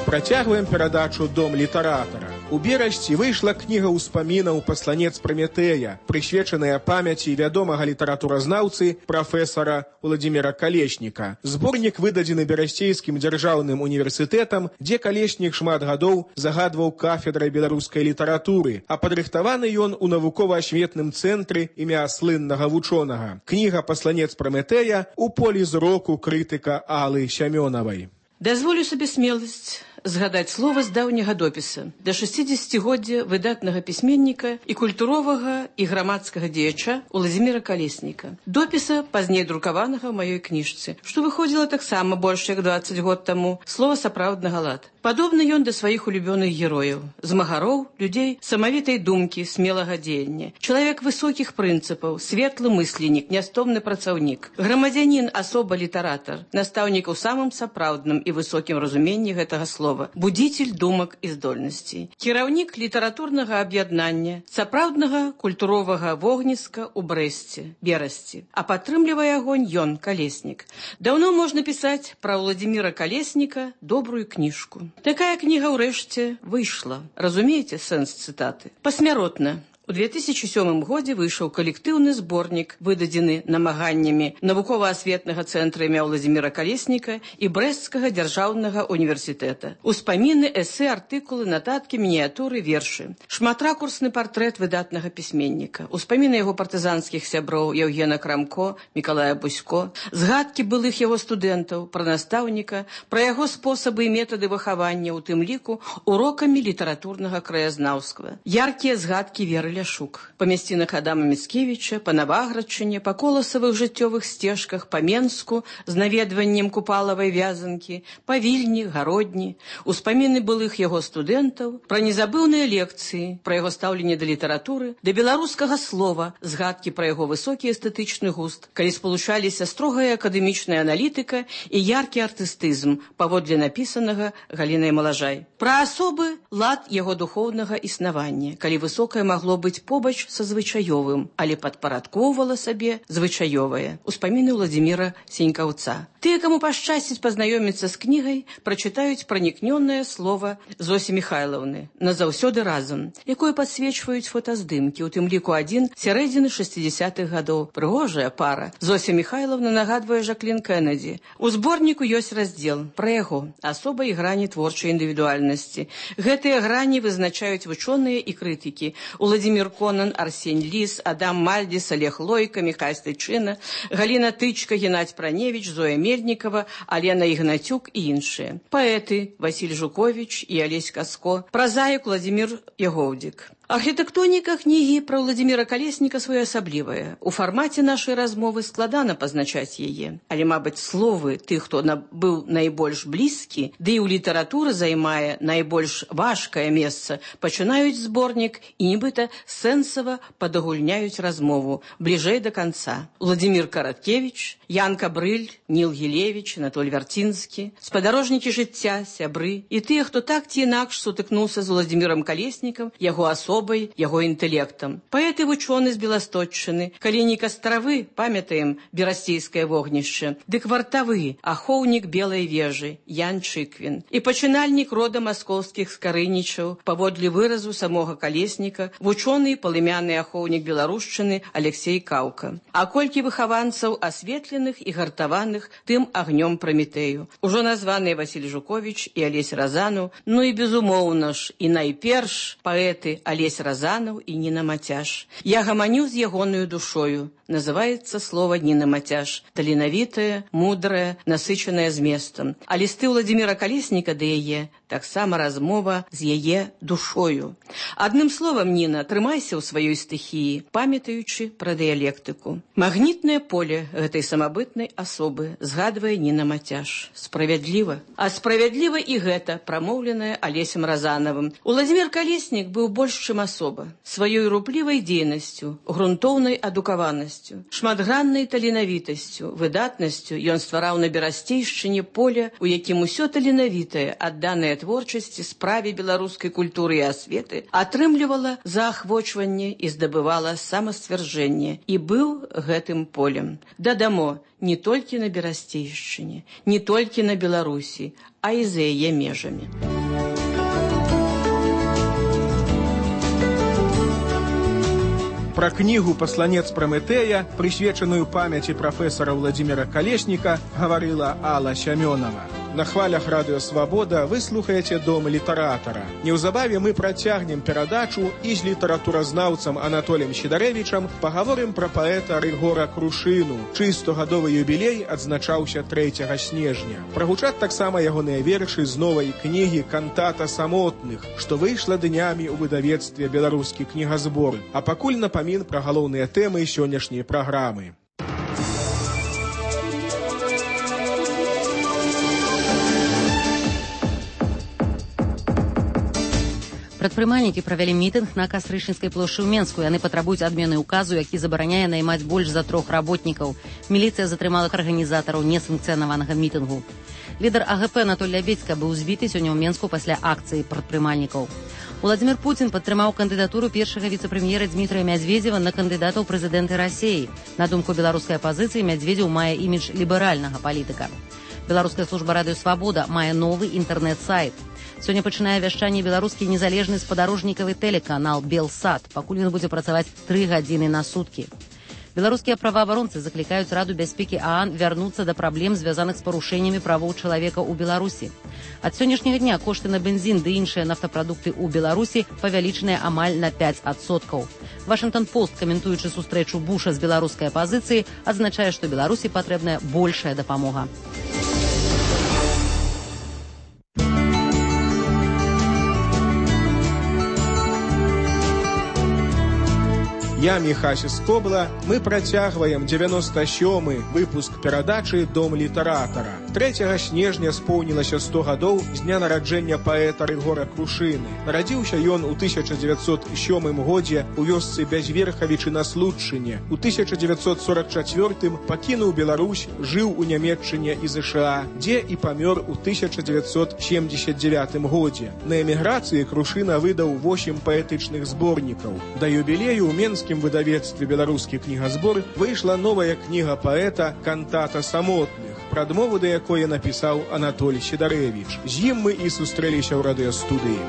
Speaker 12: Працягваем перадачу «Дом літаратара». У берасці выйшла кніга ўспамінаў «Пасланец Праметэя», прысвечаная памяці вядомага літаратуразнаўцы прафесара Уладзіміра Калешніка. Зборнік выдадзены Берасцейскім дзяржаўным універсітэтам, дзе Калеснік шмат гадоў загадваў кафедрай беларускай літаратуры, а падрыхтаваны ён у навукова-асветным цэнтры імя слыннага вучонага. Кніга «Пасланец Праметэя» у полі зроку крытыка Аллы Сямёнавай.
Speaker 13: Дазволю сабе смеласць згадаць слова з даўняга допіса да 60-годдзя выдатнага пісьменніка і культуровага і грамадскага дзеяча Уладзіміра Калесніка. Допіса, пазней друкаванага ў маёй кніжцы, што выходзіла таксама больш як 20 год таму, слова сапраўднага лад. Падобны ён да сваіх улюбёных герояў, змагароў, людзей самавітай думкі, смелага дзеяння. Чалавек высокіх прынцыпаў, светлы мысленнік, нястомны працаўнік, грамадзянін, асоба літаратар, настаўнік у самым сапраўдным і высокім разуменні гэтага слова, будзіцель думак і здольнасцей, кіраўнік літаратурнага аб'яднання, сапраўднага культуровага вогніска ў Брэсце, Берасці, а падтрымлівае агонь ён, Калеснік. Даўно можна пісаць пра Уладзіміра Калесніка добрую кніжку. Такая кніга ўрэшце выйшла. Разумееце сэнс цытаты? Пасмяротна. У 2007 годзе выйшаў калектыўны зборнік, выдадзены намаганнямі навукова-асветнага цэнтра імя Уладзіміра Калесніка і Брэсцкага дзяржаўнага універсітэта. Успаміны, эсэ, артыкулы, нататкі, мініятуры, вершы. Шматракурсны партрэт выдатнага пісьменніка. Успаміны яго партызанскіх сяброў Яўгена Крамко, Мікалая Бусько. Згадкі былых яго студэнтаў, пра настаўніка, пра яго спосабы і метады выхавання, у тым ліку урокамі літаратурнага краязнаўства. Яркія згадкі Веры Ляшук. Па мясцінах Адама Міцкевіча, па Наваградчыне, па коласавых жыццёвых сцежках, па Менску з наведваннем Купалавай вязанкі, па Вільні, Гародні, успаміны былых яго студэнтаў, пра незабыўныя лекцыі, пра яго стаўленне да літаратуры, да беларускага слова, згадкі пра яго высокі эстэтычны густ, калі спалучаліся строгая акадэмічная аналітыка і яркі артыстызм, паводле напісанага Галінай Малажай. Пра асобы лад яго духоўнага існавання, калі высокае магло быць побач са звычаёвым, але падпарадкоўвала сабе звычаёвае. Успаміны Уладзіміра Сенькаўца. Тыя, каму пашчасціць пазнаёміцца з кнігай, прачытаюць пранікнёнае слова Зосі Міхайлаўны «Назаўсёды разам», якое падсвечваюць фотаздымкі, у тым ліку адзін сярэдзіны 60-х гадоў. Прыгожая пара. Зося Міхайлаўна нагадвае Жаклін Кеннеді. У зборніку ёсць раздзел пра яго, асоба і грані творчай індывідуальнасці. Гэтыя грані вызначаюць вучоныя і крытыкі. Уладзімір Конан, Арсень Ліс, Адам Мальдзіс, Олег Лойка, Міхай Стайчына, Галіна Тычка, Геннадзь Праневіч, Зоя Мельнікова, Алена Ігнацюк і іншыя. Паэты Васіль Жуковіч і Алесь Каско, празаік Уладзімір Ягоўдзік. Архітэктоніка кнігі пра Уладзіміра Калесніка своеасаблівая. У фармаце нашай размовы складана пазначаць яе. Але, мабыць, словы тых, хто быў найбольш блізкі, ды і ў літаратуры займае найбольш важкае месца, пачынаюць зборнік і нібыта сэнсава падагульняюць размову бліжэй да канца. Уладзімір Караткевіч, Ян Кабрыль, Ніл Гілевіч, Анатоль Вярцінскі, спадарожнікі жыцця, сябры і тыя, хто так ці інакш сутыкнуўся з Уладзімірам Калеснікам, яго асобай,
Speaker 15: вучобай, яго інтэлектам. Паэт і вучоны з Беласточчыны, калі не Кастравы, памятаем берасцейскае вогнішча, дык вартавы, ахоўнік Белай вежы, Ян Чыквін. І пачынальнік рода маскоўскіх скарынічаў, паводле выразу самога Калесніка, вучоны і палымяны ахоўнік беларушчыны Алексей Каўка. А колькі выхаванцаў асветленых і гартаваных тым агнём Прамітэю. Ужо названыя Васіль Жуковіч і Алесь Разанаў, ну і безумоўна ж, і найперш паэты Алесь Разанаў і Ніна Мацяш. Я гаманю з ягонаю душою. Называецца слова Ніна Мацяш. Таленавітая, мудрая, насычаная зместам. А лісты Владзіміра Калесніка да яе таксама размова з яе душою. Адным словам, Ніна, трымайся ў сваёй стыхіі, памятаючы пра дыялектыку. Магнітнае поле гэтай самабытнай асобы, згадвае Ніна Мацяш. Справядліва. А справядліва і гэта, прамоўленае Алесем Разанавым. Уладзімір Калеснік быў больш, чым асоба. Сваёй руплівай дзейнасцю, грунтоўнай адукаванасцю, шматграннай таленавітасцю, выдатнасцю ён ствараў на Берасцейшчыне поле, у якім усё таленавітае, адданае творчасці, справе беларускай культуры і асветы, атрымлівала заахвочванне і здабывала самасцвярджэнне. І быў гэтым полем. Дадамо, не толькі на Берасцейшчыне, не толькі на Беларусі, а і за яе межамі.
Speaker 12: Пра кнігу «Пасланец Прамэтэя», прысвечаную памяці прафесара Владзіміра Калесніка, гаварыла Алла Сямёнова. На хвалях Радыё Свабода вы слухаеце «Дом літаратара». Неўзабаве мы працягнем перадачу і з літаратуразнаўцам Анатолем Сідарэвічам пагаворым пра паэта Рыгора Крушыну, чый 100-гадовы юбілей адзначаўся 3 снежня. Прагучаць таксама ягоныя вершы з новай кнігі «Кантата самотных», што выйшла днямі ў выдавецтве «Беларускі кнігазбор». А пакуль напамін пра галоўныя тэмы сённяшняй праграмы.
Speaker 1: Прадпрымальнікі правялі мітынг на Кастрычніцкай плошчы ў Менску. Яны патрабуюць адмены ўказу, які забараняе наймаць больш за 3 работнікаў. Міліцыя затрымала арганізатараў несанкцыянаванага мітынгу. Лідар АГП Анатоль Лябедзька быў збіты сёння ў Менску пасля акцыі прадпрымальнікаў. Уладзімір Пуцін падтрымаў кандыдатуру першага віцэ-прэм'ера Дмітрыя Мядзведзева на кандыдата ў прэзідэнты Расіі. На думку беларускай апазіцыі, Мядзведзеў мае імідж ліберальнага палітыка. Беларуская служба Радыё Свабода мае новы інтэрнэт-сайт. Сёння пачынае вяшчанне беларускі незалежны спадарожнікавы тэлеканал «Белсат», пакуль ён будзе працаваць 3 гадзіны на суткі. Беларускія праваабаронцы заклікаюць Раду бяспекі ААН вярнуцца да праблем, звязаных з парушэннямі правоў чалавека ў Беларусі. Ад сённяшняга дня кошты на бензін ды іншыя нафтапрадукты ў Беларусі павялічаныя амаль на 5%. Вашынгтон-Пост, каментуючы сустрэчу Буша з беларускай апазіцыі, адзначае, што Беларусі патрэбная большая дапамога.
Speaker 12: Я Міхась Скобла, мы працягваем 97-й выпуск перадачы «Дом літаратара». 3 снежня споўнілася 100 гадоў з дня нараджэння паэта Рыгора Крушыны. Нарадзіўся ён у 1907 годзе у вёсцы Бязверхавічы на Случчыне. У 1944 пакінуў Беларусь, жыў у Нямецчыне і ЗША, дзе і памёр у 1979 годзе. На эміграцыі Крушына выдаў 8 паэтычных зборнікаў. Да юбілею ў Менскім выдавецтве «Беларускі кнігазбор» выйшла новая кніга паэта «Кантата самотных», прадмову да якой напісаў Анатоль Сідарэвіч. З ім мы і сустрэліся ў радыёстудыі.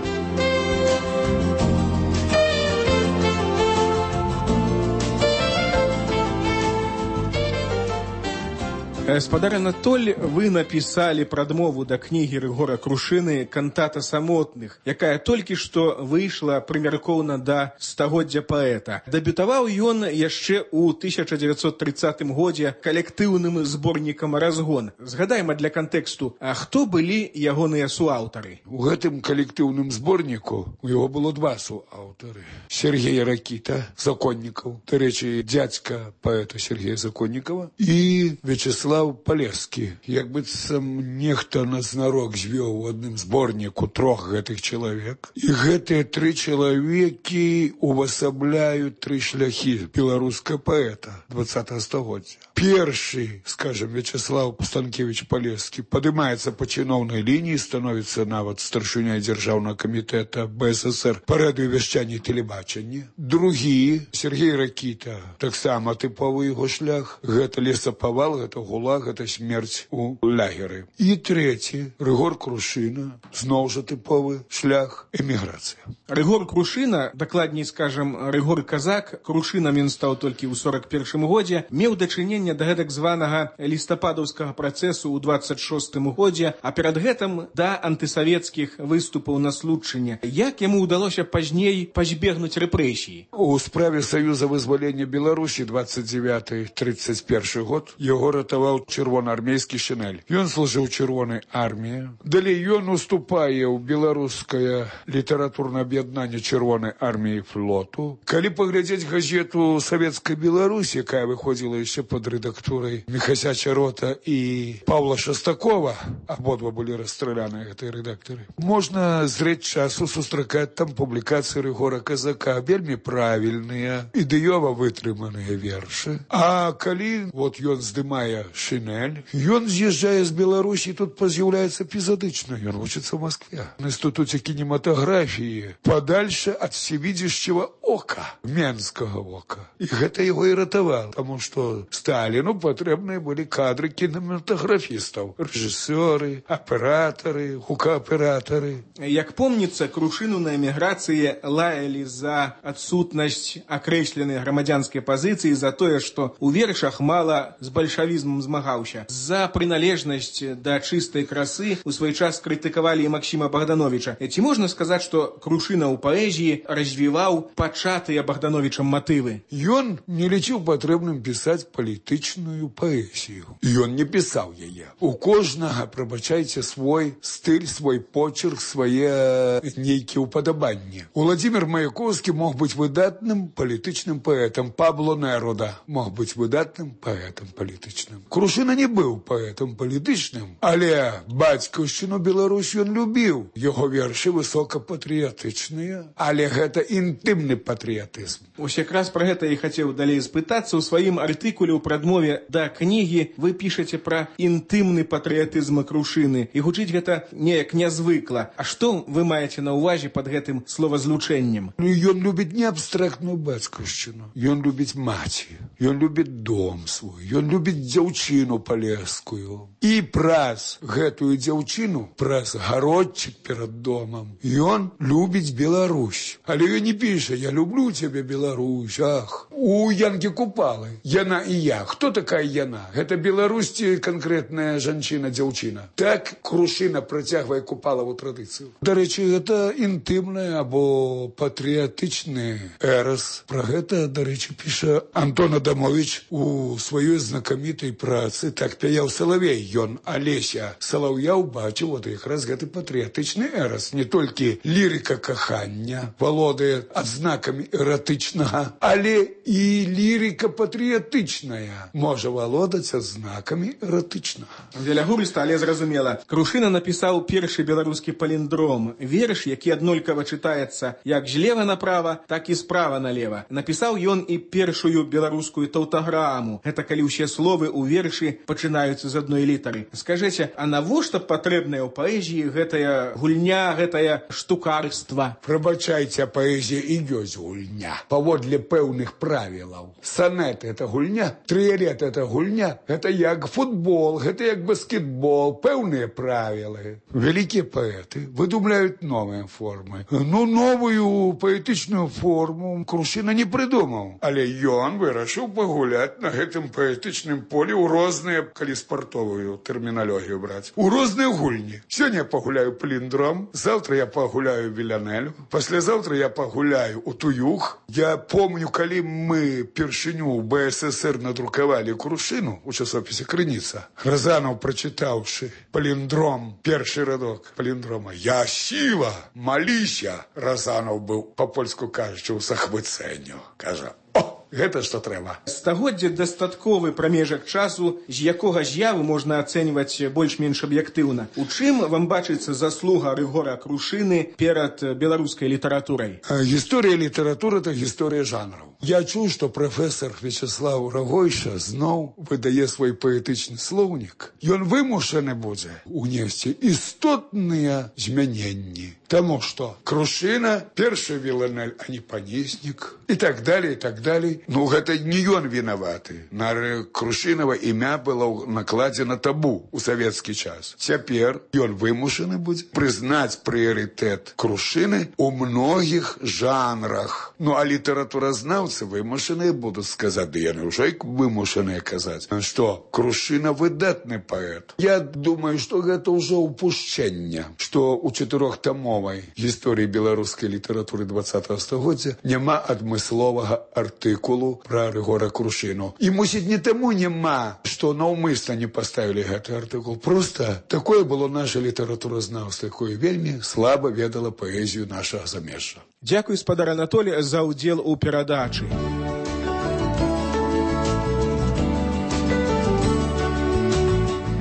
Speaker 12: Гаспадар Анатоль, вы напісалі прадмову да кнігі Рыгора Крушыны «Кантата самотных», якая толькі што выйшла прымяркоўна да стагоддзя паэта. Дэбютаваў ён яшчэ ў 1930 годзе калектыўным зборнікам «Разгон». Згадайма для кантэксту, а хто былі ягоныя суаўтары?
Speaker 16: У гэтым калектыўным зборніку у яго было 2 суаўтары. Сергей Ракіта, Законнікаў, дарэчы, дзядзька паэта Сергея Законнікава, і Вячеслав Вячеслав Палескі. Як быццам нехта назнарок звёў у адным зборніку 3 гэтых чалавек. І гэтыя 3 чалавекі увасабляюць 3 шляхі беларускага паэта 20-го стагоддзя. Першы, скажем, Вячеслав Станкевич Палескі падымаецца па чыноўнай лініі, становіцца нават старшыняй дзяржаўнага камітэта БССР па радыёвяшчанні і тэлебачанні. Другі, Сергей Ракіта, таксама тыповы яго шлях. Гэта лесапавал, гэта гулаг, гэта смерць у лагеры. І трэці, Рыгор Крушына, зноў жа тыповы шлях, эміграцыя.
Speaker 12: Рыгор Крушына, дакладней скажем, Рыгор Казак, Крушынам ён стаў толькі ў 41 годзе, меў дачыненне да гэтак званага лістападаўскага працэсу ў 26 годзе, а перад гэтым да антысавецкіх выступаў на Случчыне. Як яму ўдалося пазней пазбегнуць рэпрэсій?
Speaker 16: У справе Саюза вызвалення Беларусі 29-31 год яго ратаваў чырвонаармейскі Шинель. Ён служыў чырвонай арміі. Далей ён уступае ў беларускае літаратурнае аб'яднанне чырвонай арміі і флоту. Калі паглядзець газету Савецкай Беларусі, якая выходзіла яшчэ пад рэдактурай Міхася Чарота і Павла Шастакова, абодва былі расстраляныя гэтыя рэдактары, можна зрэць часу сустракаць там публікацыі Рыгора Казака, вельмі правільныя, ідэёва вытрыманыя вершы. А калі ён здымае Шинель, ён з'язджае з Беларусі, тут з'яўляецца эпізодычна. Ён вучыцца в Москве на інстытуце кінематаграфіі, падальше ад всевидящего ока, менскага ока. І гэта яго і ратавала, таму што Сталіну патрэбныя былі кадры кінематаграфістаў, рэжысёры, аператары, гукааператары.
Speaker 12: Як помніцца, Крушыну на эміграцыі лаялі за адсутнасць акрэсленай грамадзянскай пазіцыі, за тое, што ў вершах мала з бальшавізмам змагаўся. За прыналежнасць да чыстай красы у свой час крытыкавалі і Максіма Богдановича. Ці можна сказаць, што Крушына ў паэзіі развіваў пачатыя Богдановичам матывы?
Speaker 16: Ён не лічыў патрэбным пісаць палітычную паэзію. Ён не пісаў яе. У кожнага, прабачайце, свой стыль, свой почерк, свае нейкія ўпадабанні. Уладзімир Маяковскі мог быць выдатным палітычным паэтам. Пабло Неруда мог быць выдатным паэтам палітычным. Крушына не быў паэтам палітычным, але бацькаўшчыну Беларусь ён любіў. Яго вершы высокапатрыятычныя, але гэта інтымны патрыятызм.
Speaker 12: Ось якраз пра гэта і хацеў далей спытацца. У сваім артыкуле ў прадмове да кнігі вы пішаце пра інтымны патрыятызм Крушыны. І гучыць гэта неяк нязвыкла. А што вы маеце на ўвазе пад гэтым словазлучэннем?
Speaker 16: Ён любіць не абстрактную бацькаўшчыну. Ён любіць маці. Ён любіць дом свой. Ён любіць дзяўчыну палескую. І праз гэтую дзяўчыну, праз гародчык перад домам, ён любіць Беларусь. Але ён не піша: «Я люблю цябе, Беларусь, ах». У Янкі Купалы яна і я. Хто такая яна? Гэта Беларусь ці канкрэтная жанчына, дзяўчына? Так Крушына працягвае Купалаву традыцыю. Дарэчы, гэта інтымны або патрыятычны эрас. Пра гэта, дарэчы, піша Антон Адамович у сваёй знакамітай працы «Так пяяў Салавей». Ён Алеся Салаўя убачыў якраз гэты патрыятычны эрас. Не толькі лірыка кахання валодае адзнакамі эратычнага, але і лірыка патрыятычная можа валодаць адзнакамі эратычнага.
Speaker 12: Велягурыста, але зразумела. Крушына напісаў першы беларускі паліндром. Верш, які аднолькава чытаецца як злева направа, так і справа налева. Напісаў ён і першую беларускую таўтаграму. Гэта калі ўсе словы ў вершы пачынаюцца з адной літары. Скажыце, а навошта патрэбная ў паэзіі гэтая гульня, гэтае штукарства?
Speaker 16: Прабачайце, паэзія і ёсць гульня. Паводле пэўных правілаў. Санет — это гульня, трыялет — это гульня. Гэта як футбол, гэта як баскетбол, пэўныя правілы. Вялікія паэты выдумляюць новыя формы. Новую паэтычную форму Крушына не прыдумаў. Але ён вырашыў пагуляць на гэтым паэтычным полі ў розныя, калі спартовую тэрміналогію браць, у розныя гульні. Сёння я пагуляю паліндром, завтра я пагуляю Вілянелю, паслязаўтра я пагуляю у Туюх. Я помню, калі мы першыню ў БССР надрукавалі Крушыну у часопісе «Крыніца». Разанов, прачытаўшы паліндром, першы радок паліндрома «Я сіла, маліся», Разанов быў, па-польску кажучы, у захвыцэнню. Кажа: «О, Гэта што трэба.
Speaker 12: Стагоддзе дастатковы прамежак часу, з якога з'яву можна ацэньваць больш-менш аб'ектыўна. У чым вам бачыцца заслуга Рыгора Крушыны перад беларускай літаратурай?
Speaker 16: Гісторыя літаратуры – это гісторыя жанраў. Я чуў, што прафесар Вячеслав Рагойша зноў выдае свой паэтычны слоўнік. Ён вымушаны будзе унесці істотныя змяненні. Таму што Крушына – першы віланель, а не панеснік. І так далей, і так далей. Ну, гэта не ён вінаваты. На Крушынава імя было накладзена табу ў савецкі час. Цяпер ён вымушаны будзе прызнаць прыярытэт Крушыны ў многіх жанрах. Ну, а літаратуразнаўцы вымушаныя будуць сказаць, ды яны ўжо і вымушаныя казаць, што Крушына выдатны паэт. Я думаю, што гэта ўжо упушчэнне, што ў 4-тамовай гісторыі беларускай літаратуры 20-го стагоддзя няма адмысловага артыкулу пра Рыгора Крушыну. І, мусіць, не таму няма, што наўмысна не паставілі гэты артыкул. Проста такое было наша літаратуразнаўства, якое вельмі слаба ведала паэзію нашага замежжа.
Speaker 12: Дзякуй, спадар Анатолій, за ўдзел у перадачы.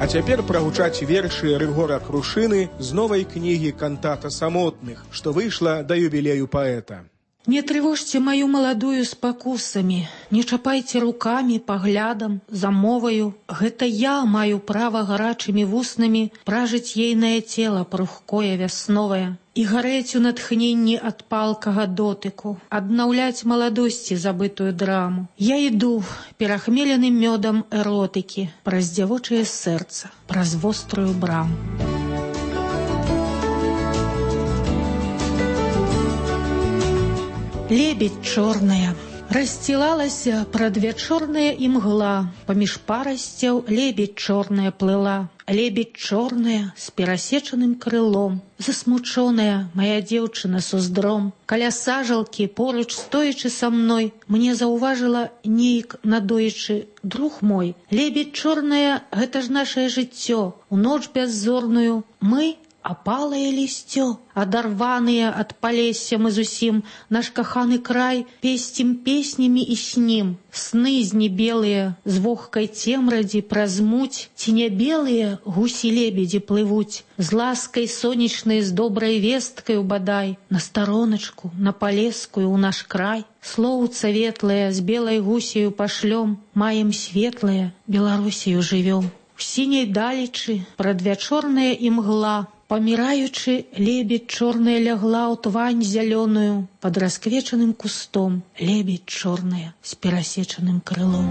Speaker 12: А цяпер прагучаць вершы Рыгора Крушыны з новай кнігі «Кантата самотных», што выйшла да юбілею паэта.
Speaker 17: Не трывожьте мою молодую с покусами, не чапайте руками, поглядом, замовою. Гэта я маю право гарачымі вуснамі пражыць ейнае тело пругкое вясновае і гарэць у натхненні ад палкага дотыку, аднаўляць маладосці забытую драму. Я іду перахмеленым мёдам эротыкі праз дзявочае сэрца, праз вострую браму. Лебедь чорная, расстилалася прадвячорная імгла, паміж парасцяў лебедь чорная плыла, лебедь чорная з перасечаным крылом, засмучоная моя дзеўчына с уздром. Каля сажалкі, поруч стоячы са мной, мне заўважыла нейк надоечы: друг мой, лебедь чорная, гэта ж нашае жыццё, у ноч бяззорную мы апалае лісцё, адарваныя ад палесся мы зусім, наш каханы край песцім песнямі і снім. Сны знебелыя з вогкай цемрадзі праз муць, ці не белыя гусі-лебедзі плывуць, з ласкай сонечнай, з добрай весткаю бадай, на староначку, на палескую ў наш край. Слоўца ветлае з белай гусею пашлём, маем светлае, Беларусію жывём. У сіняй далечы прадвячорная імгла, паміраючы, лебедь чорная лягла ў твань зялёную, пад расквечаным кустом лебедь чорная з перасечаным крылом.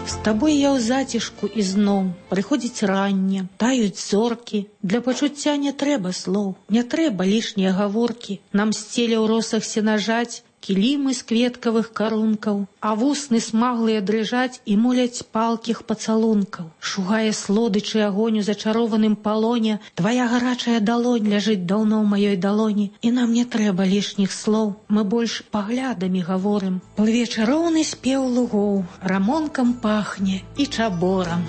Speaker 17: З табой я ў зацішку ізноў, прыходзіць ранне, таюць зоркі, для пачуцця не трэба слоў, не трэба лішнія гаворкі, нам сцеля ў росах сенажаць кілімы з кветкавых карункаў, а вусны смаглыя дрыжаць і моляць палкіх пацалункаў. Шугае слодычы агонь у зачарованым палоне, твая гарачая далонь ляжыць даўно ў маёй далоні, і нам не трэба лішніх слоў, мы больш паглядамі гаворым. Плыве чароўны спеў лугоў, рамонкам пахне і чаборам.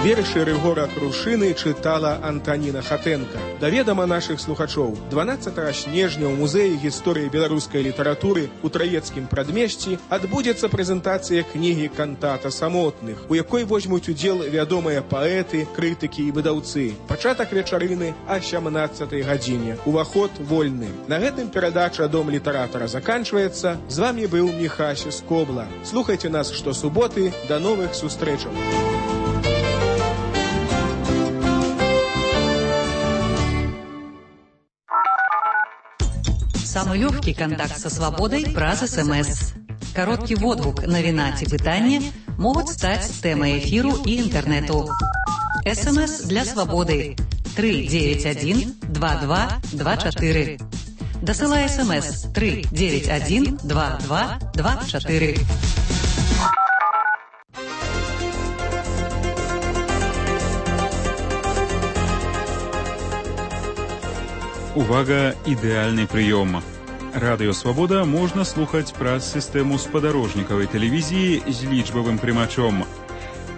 Speaker 12: Вершы Рыгора Крушыны чытала Антаніна Хатэнка. Да ведама нашых слухачоў, 12 снежня ў музеі гісторыі беларускай літаратуры ў Траецкім прадмесці адбудзецца прэзентацыя кнігі «Кантата самотных», у якой возьмуць удзел вядомыя паэты, крытыкі і выдаўцы. Пачатак вечарыны о 17 гадзіне. Уваход вольны. На гэтым перадача «Дом літаратара» заканчваецца. З вамі быў Міхася Скобла. Слухайце нас штосуботы. До новых сустрэчаў.
Speaker 6: Самый легкий контакт со свободой праз СМС. Короткий водгук, навіна ці пытанне могуць стаць тэмай эфіру і інтэрнэту. СМС для свободы 391 2224. Дасылай СМС 391 2224.
Speaker 20: Увага, ідэальны прыём. Радыё Свабода можна слухаць праз сістэму спадарожнікавай тэлевізіі з лічбавым прымачом.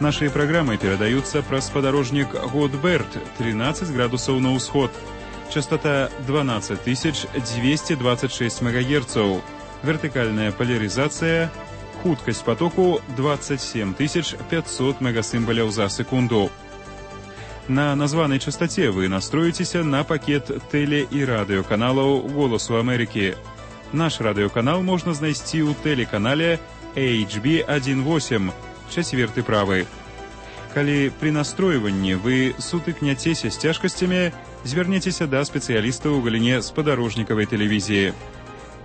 Speaker 20: Наши программы передаются праз спадарожнік Годберт, 13 градусаў на ўсход. Частота 12226 МГц. Вертикальная поляризация. Хуткость потоку 27500 мегасимволяў за секунду. На названной частоте вы настроитесь на пакет теле- и радиоканалов «Голосу Америки». Наш радиоканал можно знайсці ў телеканале HB18, 4 правы. Калі при настройванні вы сутыкняцеся з цяжкасцямі, звярнецеся да спецыялістаў у галіне спадарожнікавай тэлевізіі.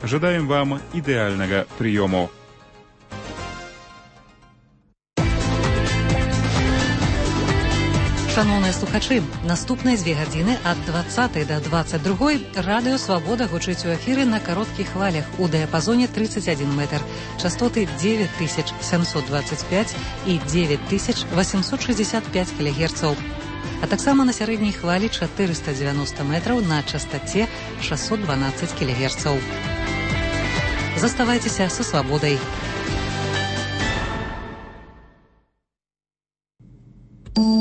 Speaker 20: Жадаем вам ідэальнага прыёму.
Speaker 6: Шановныя слухачы, наступныя 2 гадзіны ад 20 до 22 радыё Свабода гучыць у эфіры на кароткіх хвалях у дыяпазоне 31 метр, частоты 9725 і 9865 кГц, а таксама на сярэдняй хвалі 490 метраў на частоце 612 кГц. Заставайцеся са Свабодай.